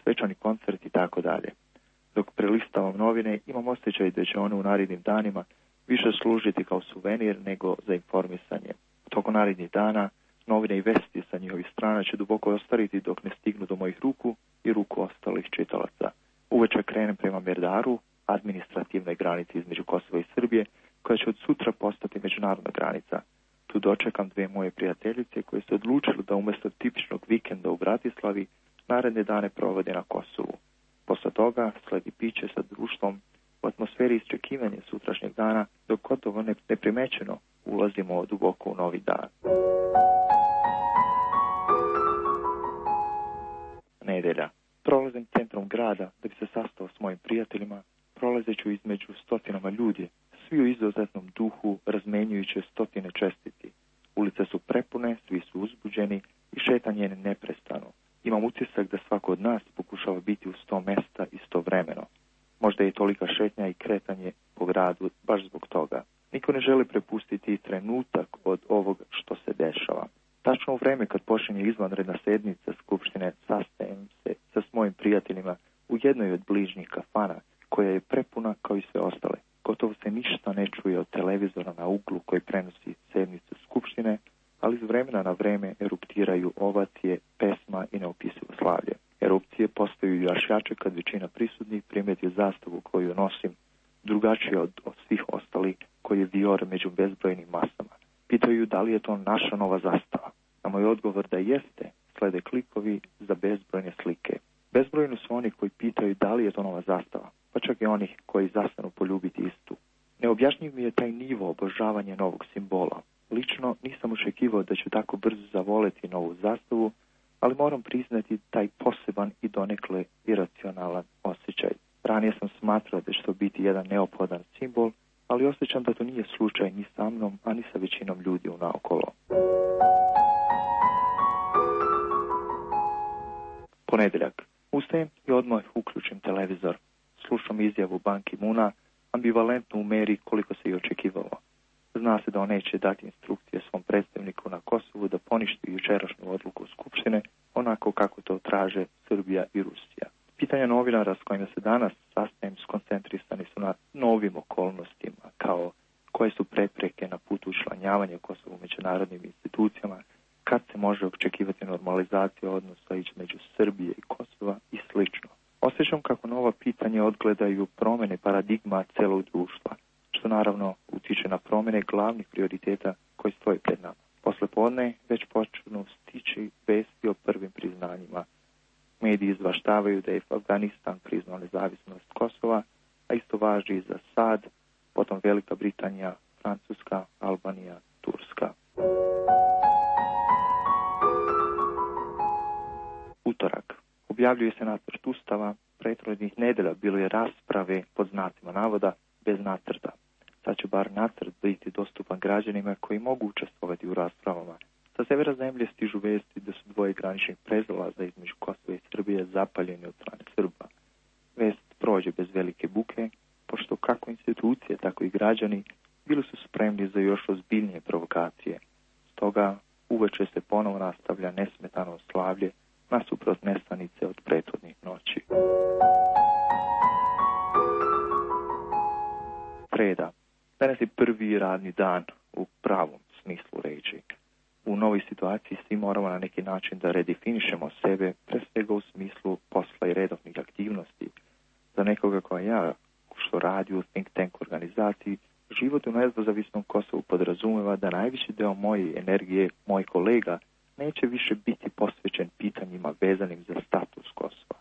svečani koncert i tako dalje. Dok prelistavam novine, imam osjećaj da će one u narednim danima više služiti kao suvenir nego za informisanje. Tokom narednih dana novine i vesti sa njihovih strana će duboko ostariti dok ne stignu do mojih ruku i ruku ostalih čitalaca. Uveče krenem prema Merdaru, administrativnoj granici između Kosova i Srbije, koja će od sutra postati međunarodna granica. Tu dočekam dve moje prijateljice koje su odlučile da umjesto tipičnog vikenda u Bratislavi naredne dane provode na Kosovu. Posle toga sledi piće sa društvom u atmosferi iščekivanja sutrašnjeg dana, dok gotovo neprimećeno ulazimo duboko u novi dan. Nedelja. Prolazim centrom grada da bi se sastao s mojim prijateljima, prolazeću između stotinama ljudi, svi u izuzetnom duhu razmenjujući stotine čestiti. Ulice su prepune, svi su uzbuđeni i šetanje je neprestano. Imam utisak da svako od nas pokušava biti u sto mesta istovremeno. Možda je tolika šetnja i kretanje po gradu baš zbog toga. Niko ne želi prepustiti trenutak od ovog što se dešava. Tačno u vreme kad počinje izvanredna sednica Skupštine sastajem se sa svojim prijateljima u jednoj od bližnjih kafana koja je prepuna kao i sve ostale. Gotovo se ništa ne čuje od televizora na uglu koji prenosi sednicu Skupštine, ali iz vremena na vreme eruptiraju ovacije, pesma i neopisivo slavlje. Erupcije postaju još jače kad većina prisutnih primeti zastavu koju nosim, drugačije od, od svih ostalih koji je vior među bezbrojnim masama. Pitaju da li je to naša nova zastava. Na moj odgovor da jeste, slede klikovi za bezbrojne slike. Bezbrojno su oni koji pitaju da li je to nova zastava, pa čak i onih koji zastanu poljubiti istu. Neobjašnjiv mi je taj nivo obožavanja novog simbola. Lično nisam očekivao da ću tako brzo zavoleti novu zastavu, ali moram priznati taj poseban i donekle iracionalan osjećaj. Ranije sam smatrao da će to biti jedan neophodan simbol, ali osjećam da to nije slučaj ni sa mnom, a ni sa većinom ljudi unaokolo. Ponedeljak. Ustajem i odmah uključim televizor. Slušam izjavu Ban Ki-moona, ambivalentno u meri koliko se i očekivalo. Zna se da on neće dati instrukcije svom predstavniku na Kosovu da poništi jučerašnju odluku Skupštine onako kako to traže Srbija i Rusija. Pitanja novinara s kojima se danas sastajem skoncentrisani su na novim okolnostima, kao koje su prepreke na putu učlanjavanja Kosova u međunarodnim institucijama, kad se može očekivati normalizacija odnosa između Srbije i Kosova i slično. Osjećam kako nova pitanja odgledaju promjene paradigma celog društva, što naravno utiče na promjene glavnih prioriteta koji stoji pred nama. Posle podne već počnu stići vesti o prvim priznanjima. Mediji izvaštavaju da je Afganistan priznao nezavisnost Kosova, a isto važi i za SAD, potom Velika Britanija, Francuska, Albanija, Turska. Utorak. Objavljuje se nacrt ustava, prethodnih nedelja bilo je rasprave pod znacima navoda bez nacrta. Sad će bar nacrt biti dostupan građanima koji mogu učestvovati u raspravama. Sa severa zemlje stižu vesti da su dvoje graničnih prelaza između Kosova i Srbije zapaljeni od strane Srba. Vest prođe bez velike buke, pošto kako institucije, tako i građani bili su spremni za još ozbiljnije provokacije. Stoga uveče se ponovo nastavlja nesmetano slavlje nasuprot nestanice od prethodnih noći. Sreda. Danas je prvi radni dan u pravom smislu reči. U novoj situaciji svi moramo na neki način da redefinišemo sebe, pre svega u smislu posla i redovnih aktivnosti. Za nekoga koja ja, što radi u think tank organizaciji, život u nezavisnom Kosovu podrazumeva da najveći deo moje energije, mojih kolega, neće više biti posvećen pitanjima vezanim za status Kosova.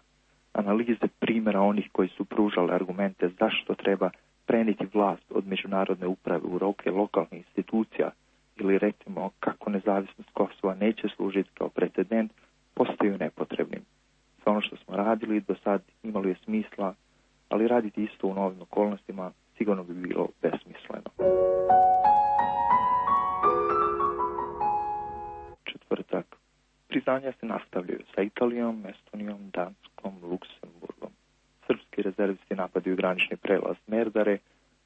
Analize primjera onih koji su pružali argumente zašto treba preniti vlast od međunarodne uprave u ruke lokalnih institucija ili recimo kako nezavisnost Kosova neće služiti kao precedent, postaju nepotrebnim. Sve ono što smo radili do sad imalo je smisla, ali raditi isto u novim okolnostima sigurno bi bilo besmisleno. Četvrtak. Priznanja se nastavljaju sa Italijom, Estonijom, Danskom, Luksemburgom. Srpski rezervisti napadaju granični prelaz Merdare,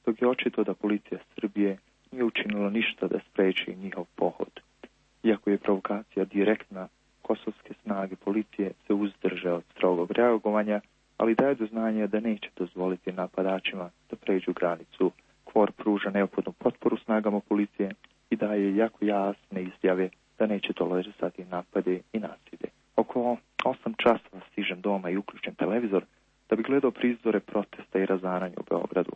dok je očito da policija Srbije nije učinila ništa da spreči njihov pohod. Iako je provokacija direktna, kosovske snage policije se uzdrže od strogog reagovanja, ali daje do znanja da neće dozvoliti napadačima da pređu granicu. Kvor pruža neophodnu potporu snagama policije i daje jako jasne izjave da neće tolerisati napade i nasilje. Oko osam časova stižem doma i uključim televizor da bi gledao prizore protesta i razaranja u Beogradu.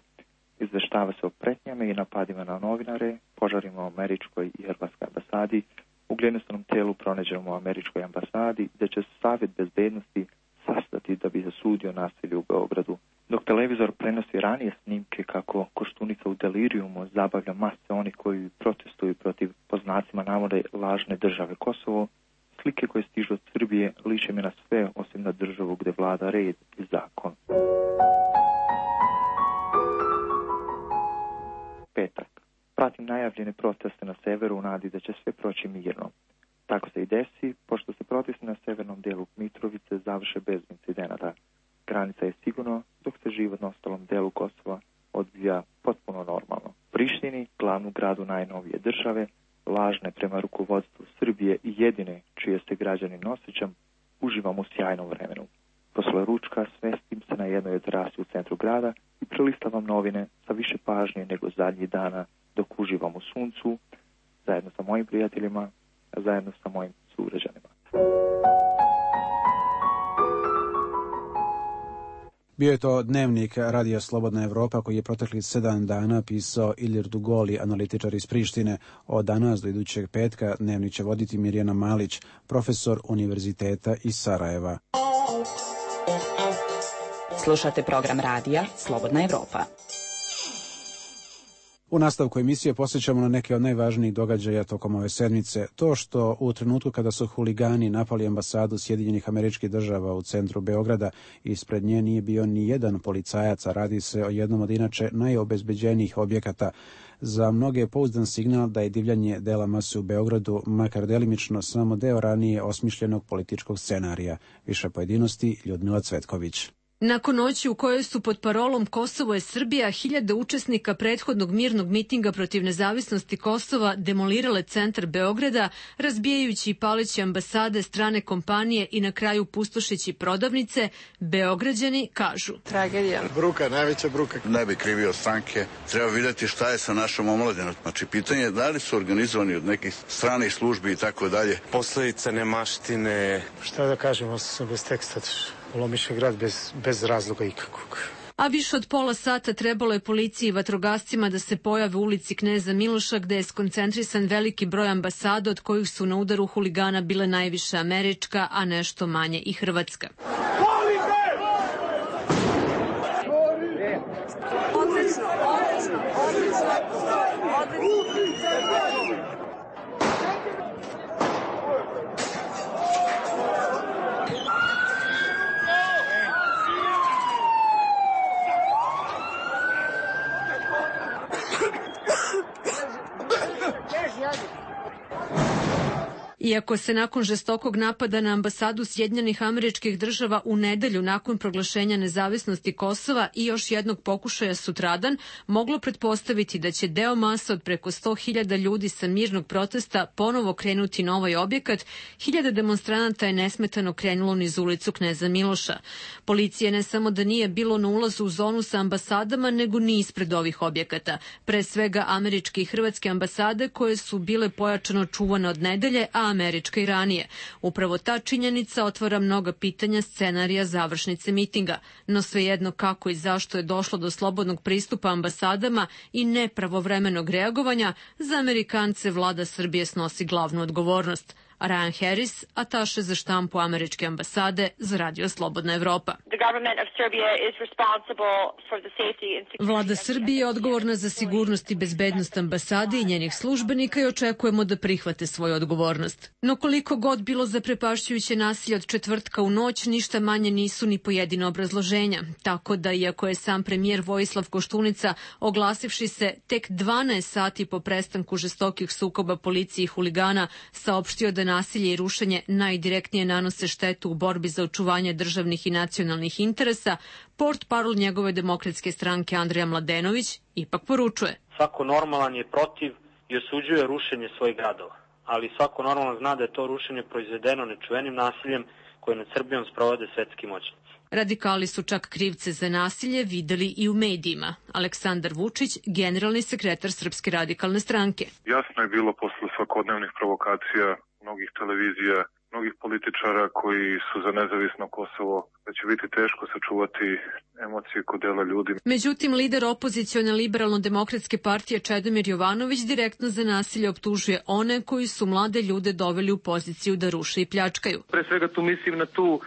Izveštava se o pretnjama i napadima na novinare, požarima u američkoj i hrvatskoj ambasadi, u glinesanom telu pronađenom u američkoj ambasadi, gde će Savjet bezbednosti sastati da bi zasudio nasilje u Beogradu. Dok televizor prenosi ranije snimke kako Koštunica u delirijumu zabavlja mase onih koji protestuju protiv, po znacima navode, lažne države Kosovo, slike koje stižu od Srbije liče mi na sve osim na državu gde vlada red i zakon. petak. Pratim najavljene proteste na severu u nadi da će sve proći mirno. Tako se i desi, pošto se protesti na severnom delu Mitrovice završe bez incidenata. Granica je sigurno, dok se život na ostalom delu Kosova odvija potpuno normalno. Prištini, glavnu gradu najnovije države, lažne prema rukovodstvu Srbije i jedine čije se građanin osjećam, uživam u sjajnom vremenu. Posle ručka svestim se na jednoj terasi u centru grada i prelistavam novine sa više pažnje nego zadnjih dana dok uživam u suncu, zajedno sa mojim prijateljima, a zajedno sa mojim sugrađanima. Bio je to dnevnik Radija Slobodna Evropa koji je proteklih sedam dana pisao Ilir Dugoli, analitičar iz Prištine. Od danas do idućeg petka dnevnik će voditi Mirjana Malić, profesor Univerziteta iz Sarajeva. Slušate program Radija Slobodna Evropa. U nastavku emisije posjećamo na neke od najvažnijih događaja tokom ove sedmice. To što u trenutku kada su huligani napali ambasadu Sjedinjenih Američkih Država u centru Beograda, ispred nje nije bio ni jedan policajac, a radi se o jednom od inače najobezbeđenijih objekata. Za mnoge je pouzdan signal da je divljanje dela mase u Beogradu, makar delimično, samo deo ranije osmišljenog političkog scenarija. Više pojedinosti, Ljudmila Cvetković. Nakon noći u kojoj su pod parolom Kosovo je Srbija hiljade učesnika prethodnog mirnog mitinga protiv nezavisnosti Kosova demolirale centar Beograda, razbijajući i paleći ambasade, strane kompanije i na kraju pustošeći prodavnice, Beograđani kažu: Tragedija. Bruka, najveća bruka. Ne bi krivio stranke. Treba vidjeti šta je sa našom omladinom. Znači, pitanje je da li su organizovani od nekih stranih službi i tako dalje. Posledica nemaštine. Šta da kažem, ostao sam bez teksta. Ulomiše grad bez, bez razloga ikakvog. A više od pola sata trebalo je policiji i vatrogascima da se pojave u ulici Kneza Miloša, gde je skoncentrisan veliki broj ambasada, od kojih su na udaru huligana bile najviše američka, a nešto manje i hrvatska. Odlično, odlično, odlično, odlično. Iako se nakon žestokog napada na ambasadu Sjedinjenih Američkih Država u nedelju nakon proglašenja nezavisnosti Kosova i još jednog pokušaja sutradan moglo pretpostaviti da će deo masa od preko sto hiljada ljudi sa mirnog protesta ponovo krenuti na ovaj objekat, hiljade demonstranata je nesmetano krenulo niz ulicu Kneza Miloša. Policije ne samo da nije bilo na ulazu u zonu sa ambasadama, nego ni ispred ovih objekata. Pre svega američke i hrvatske ambasade koje su bile pojačano čuvane od nedelje, a američka i ranije. Upravo ta činjenica otvara mnoga pitanja scenarija završnice mitinga, no svejedno kako i zašto je došlo do slobodnog pristupa ambasadama i nepravovremenog reagovanja, za Amerikance vlada Srbije snosi glavnu odgovornost. Ryan Harris, ataše za štampu američke ambasade za Radio Slobodna Evropa. Vlada Srbije je odgovorna za sigurnost i bezbednost ambasade i njenih službenika i očekujemo da prihvate svoju odgovornost. No koliko god bilo zaprepašćujuće nasilje od četvrtka u noć, ništa manje nisu ni pojedina obrazloženja. Tako da, iako je sam premijer Vojislav Koštunica, oglasivši se tek dvanaest sati po prestanku žestokih sukoba policije i huligana, saopštio da nasilje i rušenje najdirektnije nanose štetu u borbi za očuvanje državnih i nacionalnih interesa, portparol njegove demokratske stranke Andrija Mladenović ipak poručuje: svako normalan je protiv i osuđuje rušenje svojih gradova, ali svako normalan zna da je to rušenje proizvedeno nečuvenim nasiljem koje nad Srbijom sprovode svetski moćnici. Radikali su čak krivce za nasilje videli i u medijima. Aleksandar Vučić, generalni sekretar Srpske radikalne stranke. Jasno je bilo posle svakodnevnih provokacija mnogih televizija, mnogih političara koji su za nezavisno Kosovo, da će biti teško sačuvati emocije kod dela ljudi. Međutim, lider opozicione liberalno-demokratske partije Čedomir Jovanović direktno za nasilje optužuje one koji su mlade ljude doveli u poziciju da ruše i pljačkaju. Pre svega tu mislim na tu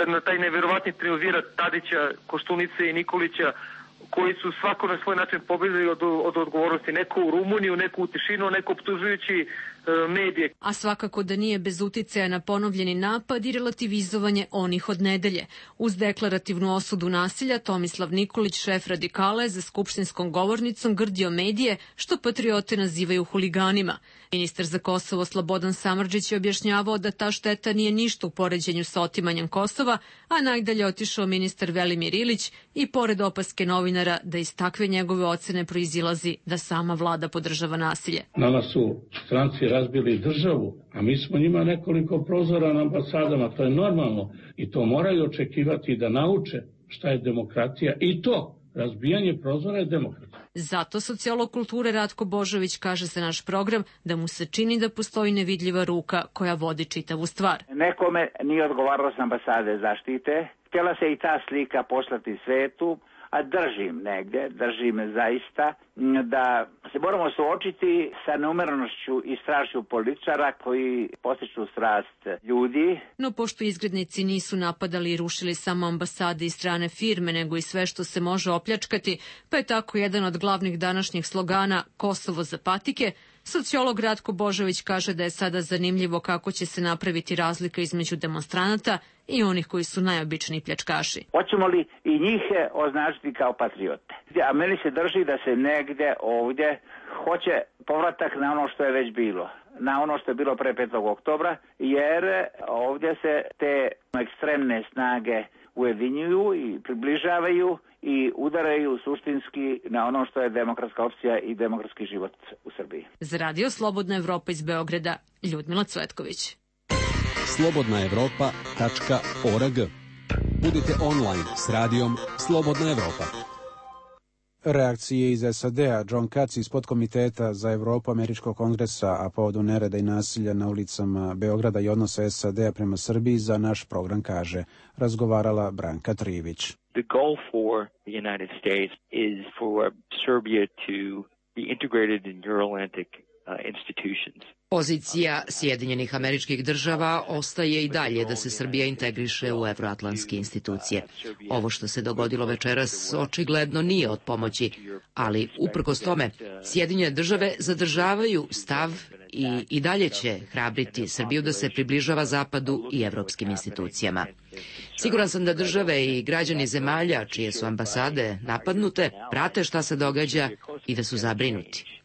na taj neverovatni triumvirat Tadića, Koštunice i Nikolića, koji su svako na svoj način pobegli od, od odgovornosti. Neko u Rumuniju, neko u tišinu, neko optužujući e, medije. A svakako da nije bez uticaja na ponovljeni napad i relativizovanje onih od nedelje. Uz deklarativnu osudu nasilja, Tomislav Nikolić, šef radikala, je za skupštinskom govornicom grdio medije, što patriote nazivaju huliganima. Ministar za Kosovo Slobodan Samardžić je objašnjavao da ta šteta nije ništa u poređenju sa otimanjem Kosova, a najdalje otišao ministar Velimir Ilić i pored opaske novinara da iz takve njegove ocene proizilazi da sama vlada podržava nasilje. Nama su stranci razbili državu, a mi smo njima nekoliko prozora na ambasadama, to je normalno i to moraju očekivati da nauče šta je demokratija i to. Razbijanje prozora je demokratija. Zato sociolog kulture Ratko Božović kaže za naš program da mu se čini da postoji nevidljiva ruka koja vodi čitavu stvar. Nekome nije odgovaralo s ambasade zaštite. Htjela se i ta slika poslati svetu, a držim negde, držim zaista da se moramo suočiti sa neumjerenošću i strašću političara koji postiču strast ljudi. No pošto izgrednici nisu napadali i rušili samo ambasade i strane firme, nego i sve što se može opljačkati, pa je tako jedan od glavnih današnjih slogana Kosovo za patike, sociolog Ratko Božović kaže da je sada zanimljivo kako će se napraviti razlika između demonstranata i onih koji su najobičniji pljačkaši. Hoćemo li i njih označiti kao patriote? A meni se drži da se negde ovdje hoće povratak na ono što je već bilo, na ono što je bilo pre petog oktobra, jer ovdje se te ekstremne snage ujedinjuju i približavaju i udaraju suštinski na ono što je demokratska opcija i demokratski život u Srbiji. Za Radio Slobodna Evropa iz Beograda, Ljudmila Cvetković. slobodna evropa tačka org. Budite online s radijom Slobodna Evropa. Reakcije iz S A D-a. John Katz iz podkomiteta za Evropu Američkog kongresa, a povodu nereda i nasilja na ulicama Beograda i odnosa S A D-a prema Srbiji, za naš program kaže razgovarala Branka Trivić. The goal for the United States is for Serbia to be integrated in Euro-Atlantic uh, institutions. Pozicija Sjedinjenih Američkih Država ostaje i dalje da se Srbija integriše u evroatlantske institucije. Ovo što se dogodilo večeras očigledno nije od pomoći, ali uprkos tome Sjedinjene Države zadržavaju stav i i dalje će hrabriti Srbiju da se približava Zapadu i evropskim institucijama. Siguran sam da države i građani zemalja čije su ambasade napadnute prate šta se događa i da su zabrinuti.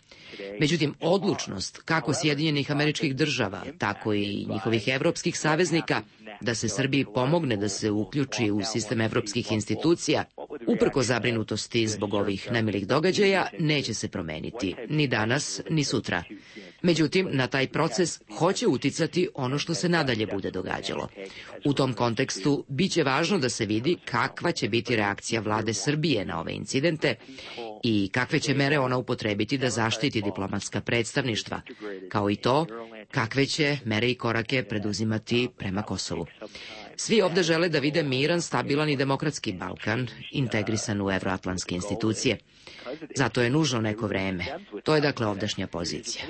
Međutim, odlučnost kako Sjedinjenih Američkih Država, tako i njihovih evropskih saveznika da se Srbiji pomogne da se uključi u sistem evropskih institucija, uprko zabrinutosti zbog ovih nemilih događaja, neće se promeniti, ni danas, ni sutra. Međutim, na taj proces hoće uticati ono što se nadalje bude događalo. U tom kontekstu biće važno da se vidi kakva će biti reakcija vlade Srbije na ove incidente i kakve će mere ona upotrebiti da zaštiti diplomatska predstavništva, kao i to kakve će mere i korake preduzimati prema Kosovu. Svi ovde žele da vide miran, stabilan i demokratski Balkan, integrisan u evroatlantske institucije. Zato je nužno neko vreme. To je dakle ovdašnja pozicija.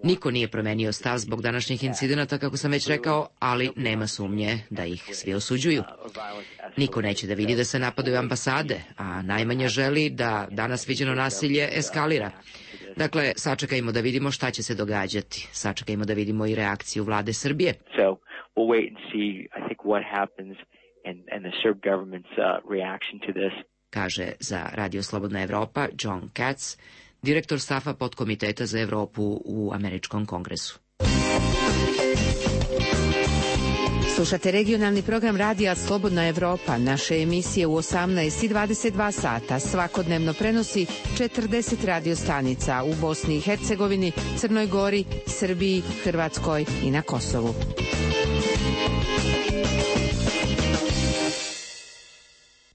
Niko nije promenio stav zbog današnjih incidenata, kako sam već rekao, ali nema sumnje da ih svi osuđuju. Niko neće da vidi da se napadaju ambasade, a najmanje želi da danas viđeno nasilje eskalira. Dakle, sačekajmo da vidimo šta će se događati. Sačekajmo da vidimo i reakciju vlade Srbije. So we'll wait and see, I think, what happens and, and the Serb government's uh, reaction to this. Kaže za Radio Slobodna Evropa John Katz, direktor stafa podkomiteta za Evropu u Američkom kongresu. Slušate regionalni program Radija Slobodna Evropa. Naše emisije u osamnaest i dvadeset dva sata svakodnevno prenosi četrdeset radio stanica u Bosni i Hercegovini, Crnoj Gori, Srbiji, Hrvatskoj i na Kosovu.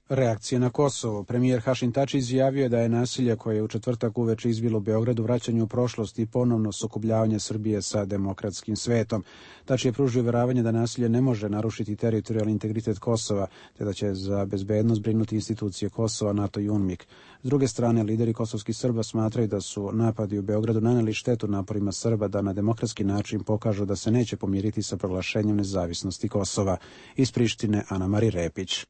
Reakcije na Kosovo. Premijer Hašim Tači izjavio je da je nasilje koje je u četvrtak uveče izbilo u Beogradu vraćanje u prošlost i ponovno sukobljavanje Srbije sa demokratskim svetom. Tači je pružio veravanje da nasilje ne može narušiti teritorijalni integritet Kosova, te da će za bezbednost brinuti institucije Kosova, NATO i UNMIK. S druge strane, lideri kosovskih Srba smatraju da su napadi u Beogradu naneli štetu naporima Srba da na demokratski način pokažu da se neće pomiriti sa proglašenjem nezavisnosti Kosova. Iz Prištine, Ana Mari Repić.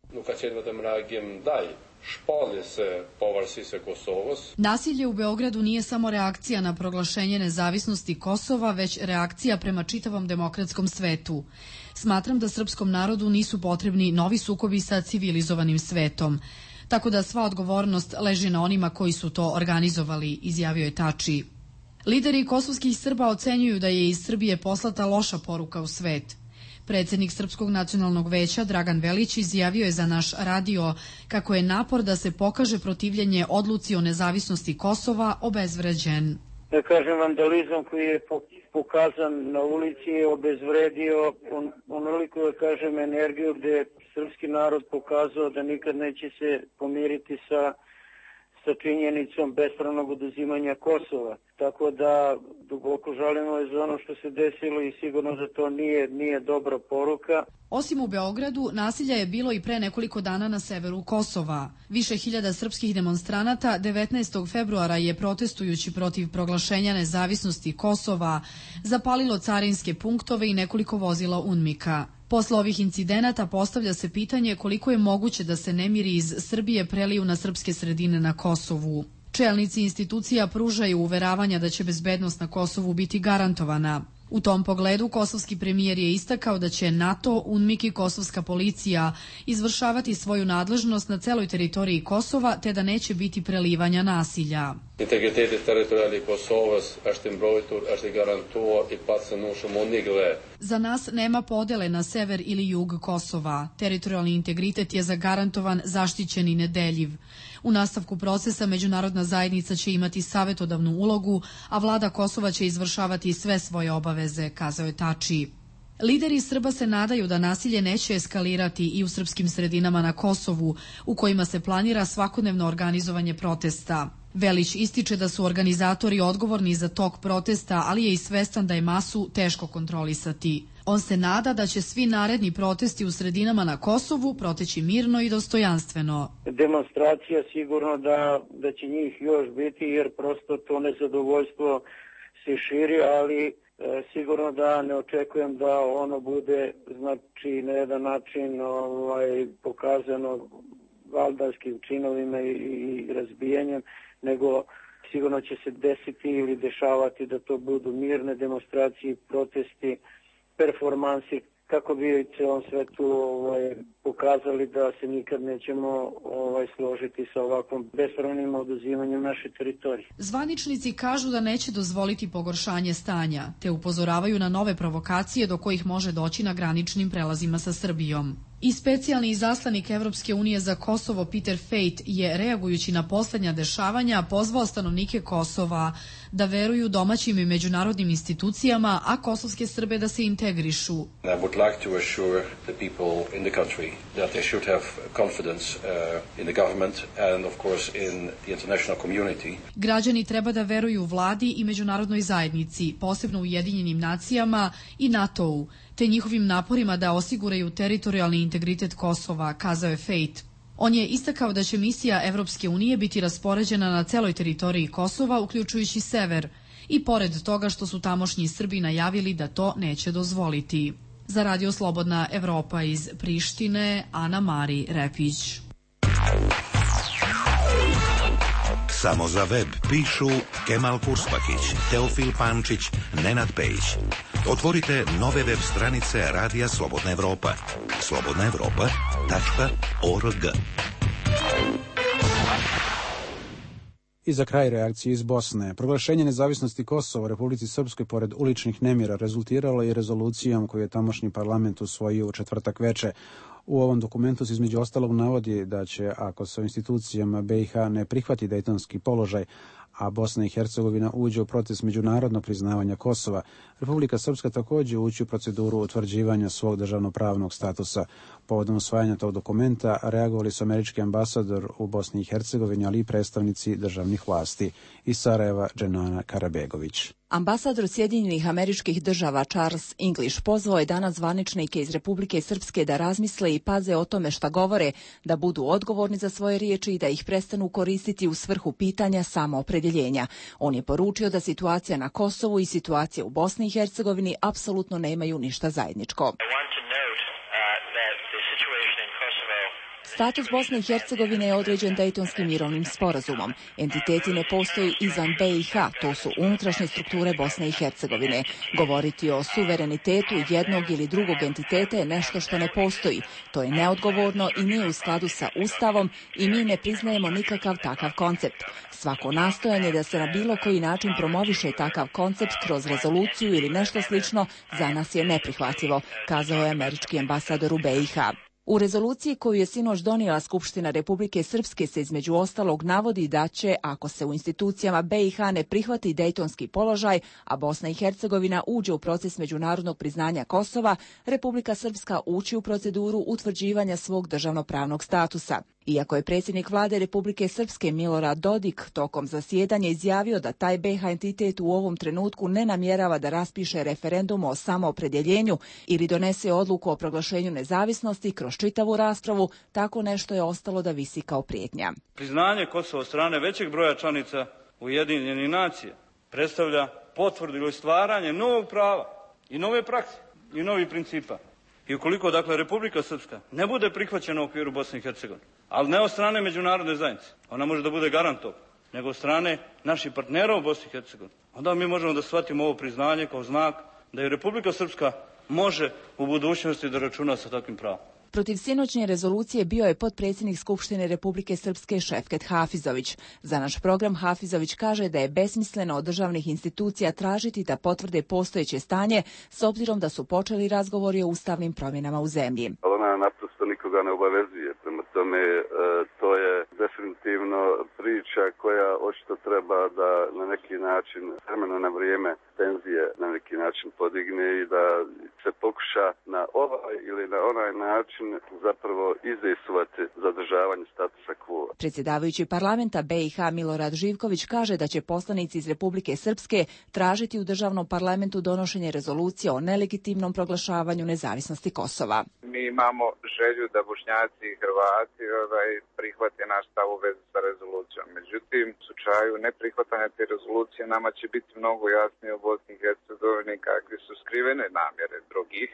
Nasilje u Beogradu nije samo reakcija na proglašenje nezavisnosti Kosova, već reakcija prema čitavom demokratskom svetu. Smatram da srpskom narodu nisu potrebni novi sukobi sa civilizovanim svetom. Tako da sva odgovornost leži na onima koji su to organizovali, izjavio je Tači. Lideri kosovskih Srba ocenjuju da je iz Srbije poslata loša poruka u svet. Predsednik Srpskog nacionalnog veća Dragan Velić izjavio je za naš radio kako je napor da se pokaže protivljenje odluci o nezavisnosti Kosova obezvređen. Da kažem, vandalizam koji je pokazan na ulici je obezvredio on, onoliko, da kažem, energiju gde je srpski narod pokazao da nikad neće se pomiriti sa, sa činjenicom bespravnog oduzimanja Kosova. Tako da duboko žalimo za ono što se desilo i sigurno da to nije, nije dobra poruka. Osim u Beogradu, nasilja je bilo i pre nekoliko dana na severu Kosova. Više hiljada srpskih demonstranata devetnaestog februara je protestujući protiv proglašenja nezavisnosti Kosova zapalilo carinske punktove i nekoliko vozila UNMIK-a. Posle ovih incidenata postavlja se pitanje koliko je moguće da se nemiri iz Srbije preliju na srpske sredine na Kosovu. Čelnici institucija pružaju uveravanja da će bezbednost na Kosovu biti garantovana. U tom pogledu kosovski premijer je istakao da će NATO, UNMIK i kosovska policija izvršavati svoju nadležnost na celoj teritoriji Kosova, te da neće biti prelivanja nasilja. Integriteti teritorijalnih Kosovas është mbrojtur, është garantuar i pa se nushëm unigle. Za nas nema podele na sever ili jug Kosova. Teritorijalni integritet je zagarantovan, zaštićen i nedeljiv. U nastavku procesa međunarodna zajednica će imati savetodavnu ulogu, a vlada Kosova će izvršavati sve svoje obaveze, kazao je Tači. Lideri Srba se nadaju da nasilje neće eskalirati i u srpskim sredinama na Kosovu, u kojima se planira svakodnevno organizovanje protesta. Velić ističe da su organizatori odgovorni za tok protesta, ali je i svestan da je masu teško kontrolisati. On se nada da će svi naredni protesti u sredinama na Kosovu proteći mirno i dostojanstveno. Demonstracija sigurno da, da će njih još biti, jer prosto to nezadovoljstvo se širi, ali e, sigurno da ne očekujem da ono bude, znači, na jedan način ovaj, pokazano valdarskim činovima i, i razbijanjem, nego sigurno će se desiti ili dešavati da to budu mirne demonstracije, protesti, performansi, kako bi u celom svetu ovaj, pokazali da se nikad nećemo ovaj, složiti sa ovakvom bespravnim oduzimanjem naše teritorije. Zvaničnici kažu da neće dozvoliti pogoršanje stanja, te upozoravaju na nove provokacije do kojih može doći na graničnim prelazima sa Srbijom. I specijalni izaslanik Evropske unije za Kosovo Peter Fejt je, reagujući na poslednja dešavanja, pozvao stanovnike Kosova da veruju domaćim i međunarodnim institucijama, a kosovske Srbe da se integrišu. I would like to assure the people in the country that they should have confidence uh, in the government and of course in the international community. Građani treba da veruju vladi i međunarodnoj zajednici, posebno Ujedinjenim nacijama i NATO-u, te njihovim naporima da osiguraju teritorijalni integritet Kosova, kazao je Fejt. On je istakao da će misija Evropske unije biti raspoređena na celoj teritoriji Kosova, uključujući sever, i pored toga što su tamošnji Srbi najavili da to neće dozvoliti. Za Radio Slobodna Evropa iz Prištine, Ana Mari Repić. Samo za web pišu Kemal Purspakić, Teofil Pančić, Nenad Pejić. Otvorite nove web stranice Radija Slobodna Evropa. slobodna evropa tačka org. I za kraj reakcije iz Bosne. Proglašenje nezavisnosti Kosova u Republici Srpskoj pored uličnih nemira rezultiralo je rezolucijom koju je tamošnji parlament usvojio u četvrtak veče. U ovom dokumentu se između ostalog navodi da će, ako se u institucijama B i H ne prihvati dejtonski položaj, a Bosna i Hercegovina uđe u proces međunarodnog priznavanja Kosova, Republika Srpska također ući u proceduru utvrđivanja svog državnopravnog statusa. Povodom usvajanja tog dokumenta reagovali su američki ambasador u Bosni i Hercegovini, ali i predstavnici državnih vlasti. Iz Sarajeva, Dženana Karabegović. Ambasador Sjedinjenih Američkih Država Charles English pozvao je danas zvaničnike iz Republike Srpske da razmisle i paze o tome šta govore, da budu odgovorni za svoje riječi i da ih prestanu koristiti u svrhu pitanja samoopredjeljenja. On je poručio da situacija na Kosovu i situacija u Bosni i Hercegovini apsolutno nemaju ništa zajedničko. Status Bosne i Hercegovine je određen Dejtonskim mirovnim sporazumom. Entiteti ne postoji izvan B i H, to su unutrašnje strukture Bosne i Hercegovine. Govoriti o suverenitetu jednog ili drugog entiteta je nešto što ne postoji. To je neodgovorno i nije u skladu sa Ustavom i mi ne priznajemo nikakav takav koncept. Svako nastojanje da se na bilo koji način promoviše takav koncept kroz rezoluciju ili nešto slično za nas je neprihvatljivo, kazao je američki ambasador u B i H. U rezoluciji koju je sinoć donijela Skupština Republike Srpske se između ostalog navodi da će, ako se u institucijama B i H ne prihvati dejtonski položaj, a Bosna i Hercegovina uđe u proces međunarodnog priznanja Kosova, Republika Srpska ući u proceduru utvrđivanja svog državnopravnog statusa. Iako je predsjednik vlade Republike Srpske Milorad Dodik tokom zasjedanja izjavio da taj B i H entitet u ovom trenutku ne namjerava da raspiše referendum o samoopredjeljenju ili donese odluku o proglašenju nezavisnosti kroz čitavu raspravu, tako nešto je ostalo da visi kao prijetnja. Priznanje Kosova od strane većeg broja članica Ujedinjenih nacija predstavlja potvrdu ili stvaranje novog prava i nove prakse i novih principa. I ukoliko, dakle, Republika Srpska ne bude prihvaćena u okviru Bosne i Hercegovine, ali ne od strane međunarodne zajednice, ona može da bude garant toga, nego od strane naših partnera u Bosni i Hercegovini, onda mi možemo da shvatimo ovo priznanje kao znak da i Republika Srpska može u budućnosti da računa sa takvim pravom. Protiv sinoćnje rezolucije bio je potpredsjednik Skupštine Republike Srpske Šefket Hafizović. Za naš program Hafizović kaže da je besmisleno od državnih institucija tražiti da potvrde postojeće stanje s obzirom da su počeli razgovori o ustavnim promjenama u zemlji. Ona naprosto nikoga ne obavezuje, prema tome e, to je definitivno priča koja očito treba da na neki način vremena na vrijeme tenzije na neki način podigne i da se pokuša na ovaj ili na onaj način zapravo izdejstvovati zadržavanje statusa quo. Predsjedavajući parlamenta B i H Milorad Živković kaže da će poslanici iz Republike Srpske tražiti u državnom parlamentu donošenje rezolucije o nelegitimnom proglašavanju nezavisnosti Kosova. Mi imamo želju da Bošnjaci i Hrvati ovaj, prihvate naš stav u vezi sa rezolucijom. Međutim, u slučaju neprihvatanja te rezolucije nama će biti mnogo jasnije u Bosni i Hercegovini kakve su skrivene namjere drugih,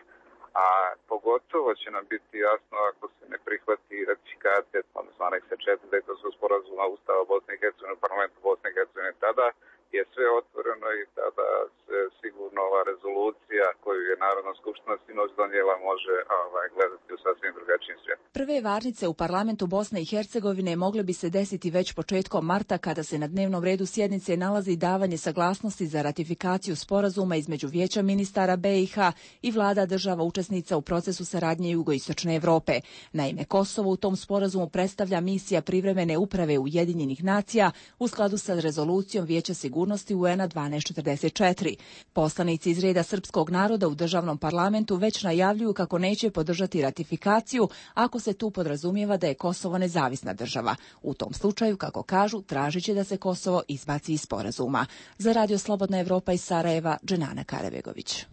a pogotovo će nam biti jasno ako se ne prihvati ratifikacija, odnosno aneksa četiri Dejtonskog sporazuma Ustava Bosne i Hercegovine u parlamentu Bosne i Hercegovine. Tada je sve otvoreno i tada se sigurno ova rezolucija koju je Narodna skupština sinoć donijela može ovaj, gledati u sasvim drugačijim svijetom. Prve varnice u parlamentu Bosne i Hercegovine mogle bi se desiti već početkom marta kada se na dnevnom redu sjednice nalazi davanje saglasnosti za ratifikaciju sporazuma između Vijeća ministara B i H i vlada država učesnica u procesu saradnje Jugoistočne Evrope. Naime, Kosovo u tom sporazumu predstavlja misija privremene uprave Ujedinjenih nacija u skladu sa rezolucijom Vijeća sigurnosti U N a dvanaest četrdeset četiri. Poslanici iz reda srpskog naroda u državnom parlamentu već najavljuju kako neće podržati ratifikaciju ako se tu podrazumijeva da je Kosovo nezavisna država. U tom slučaju, kako kažu, tražit će da se Kosovo izbaci iz sporazuma. Za Radio Slobodna Evropa iz Sarajeva, Dženana Karabegović.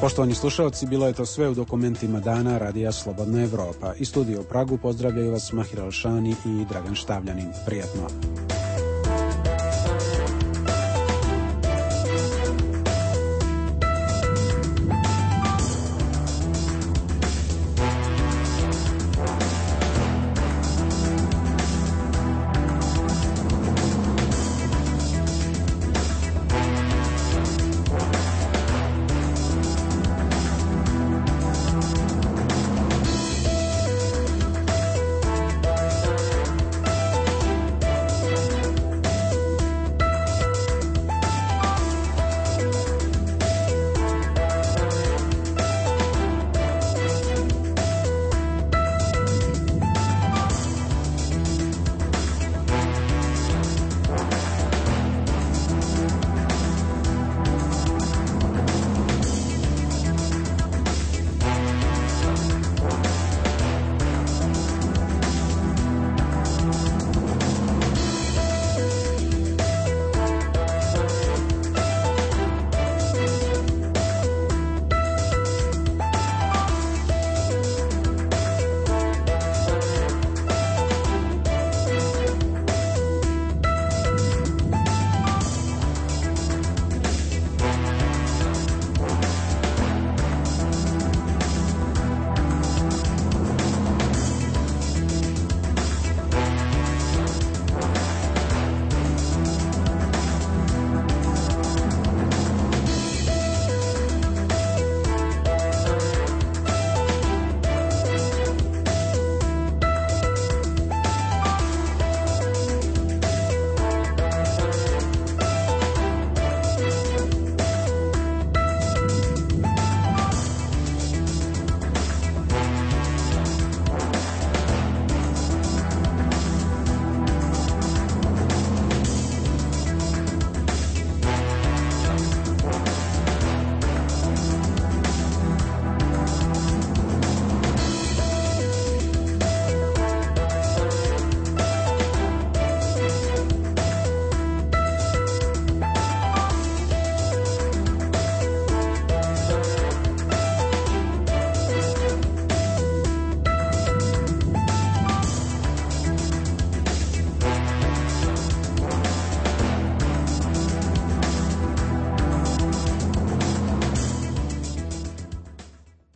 Poštovani slušalci, bilo je to sve u dokumentima dana Radija Slobodna Evropa. I studio u Pragu pozdravljaju vas Mahir Alšani i Dragan Štavljanin. Prijatno.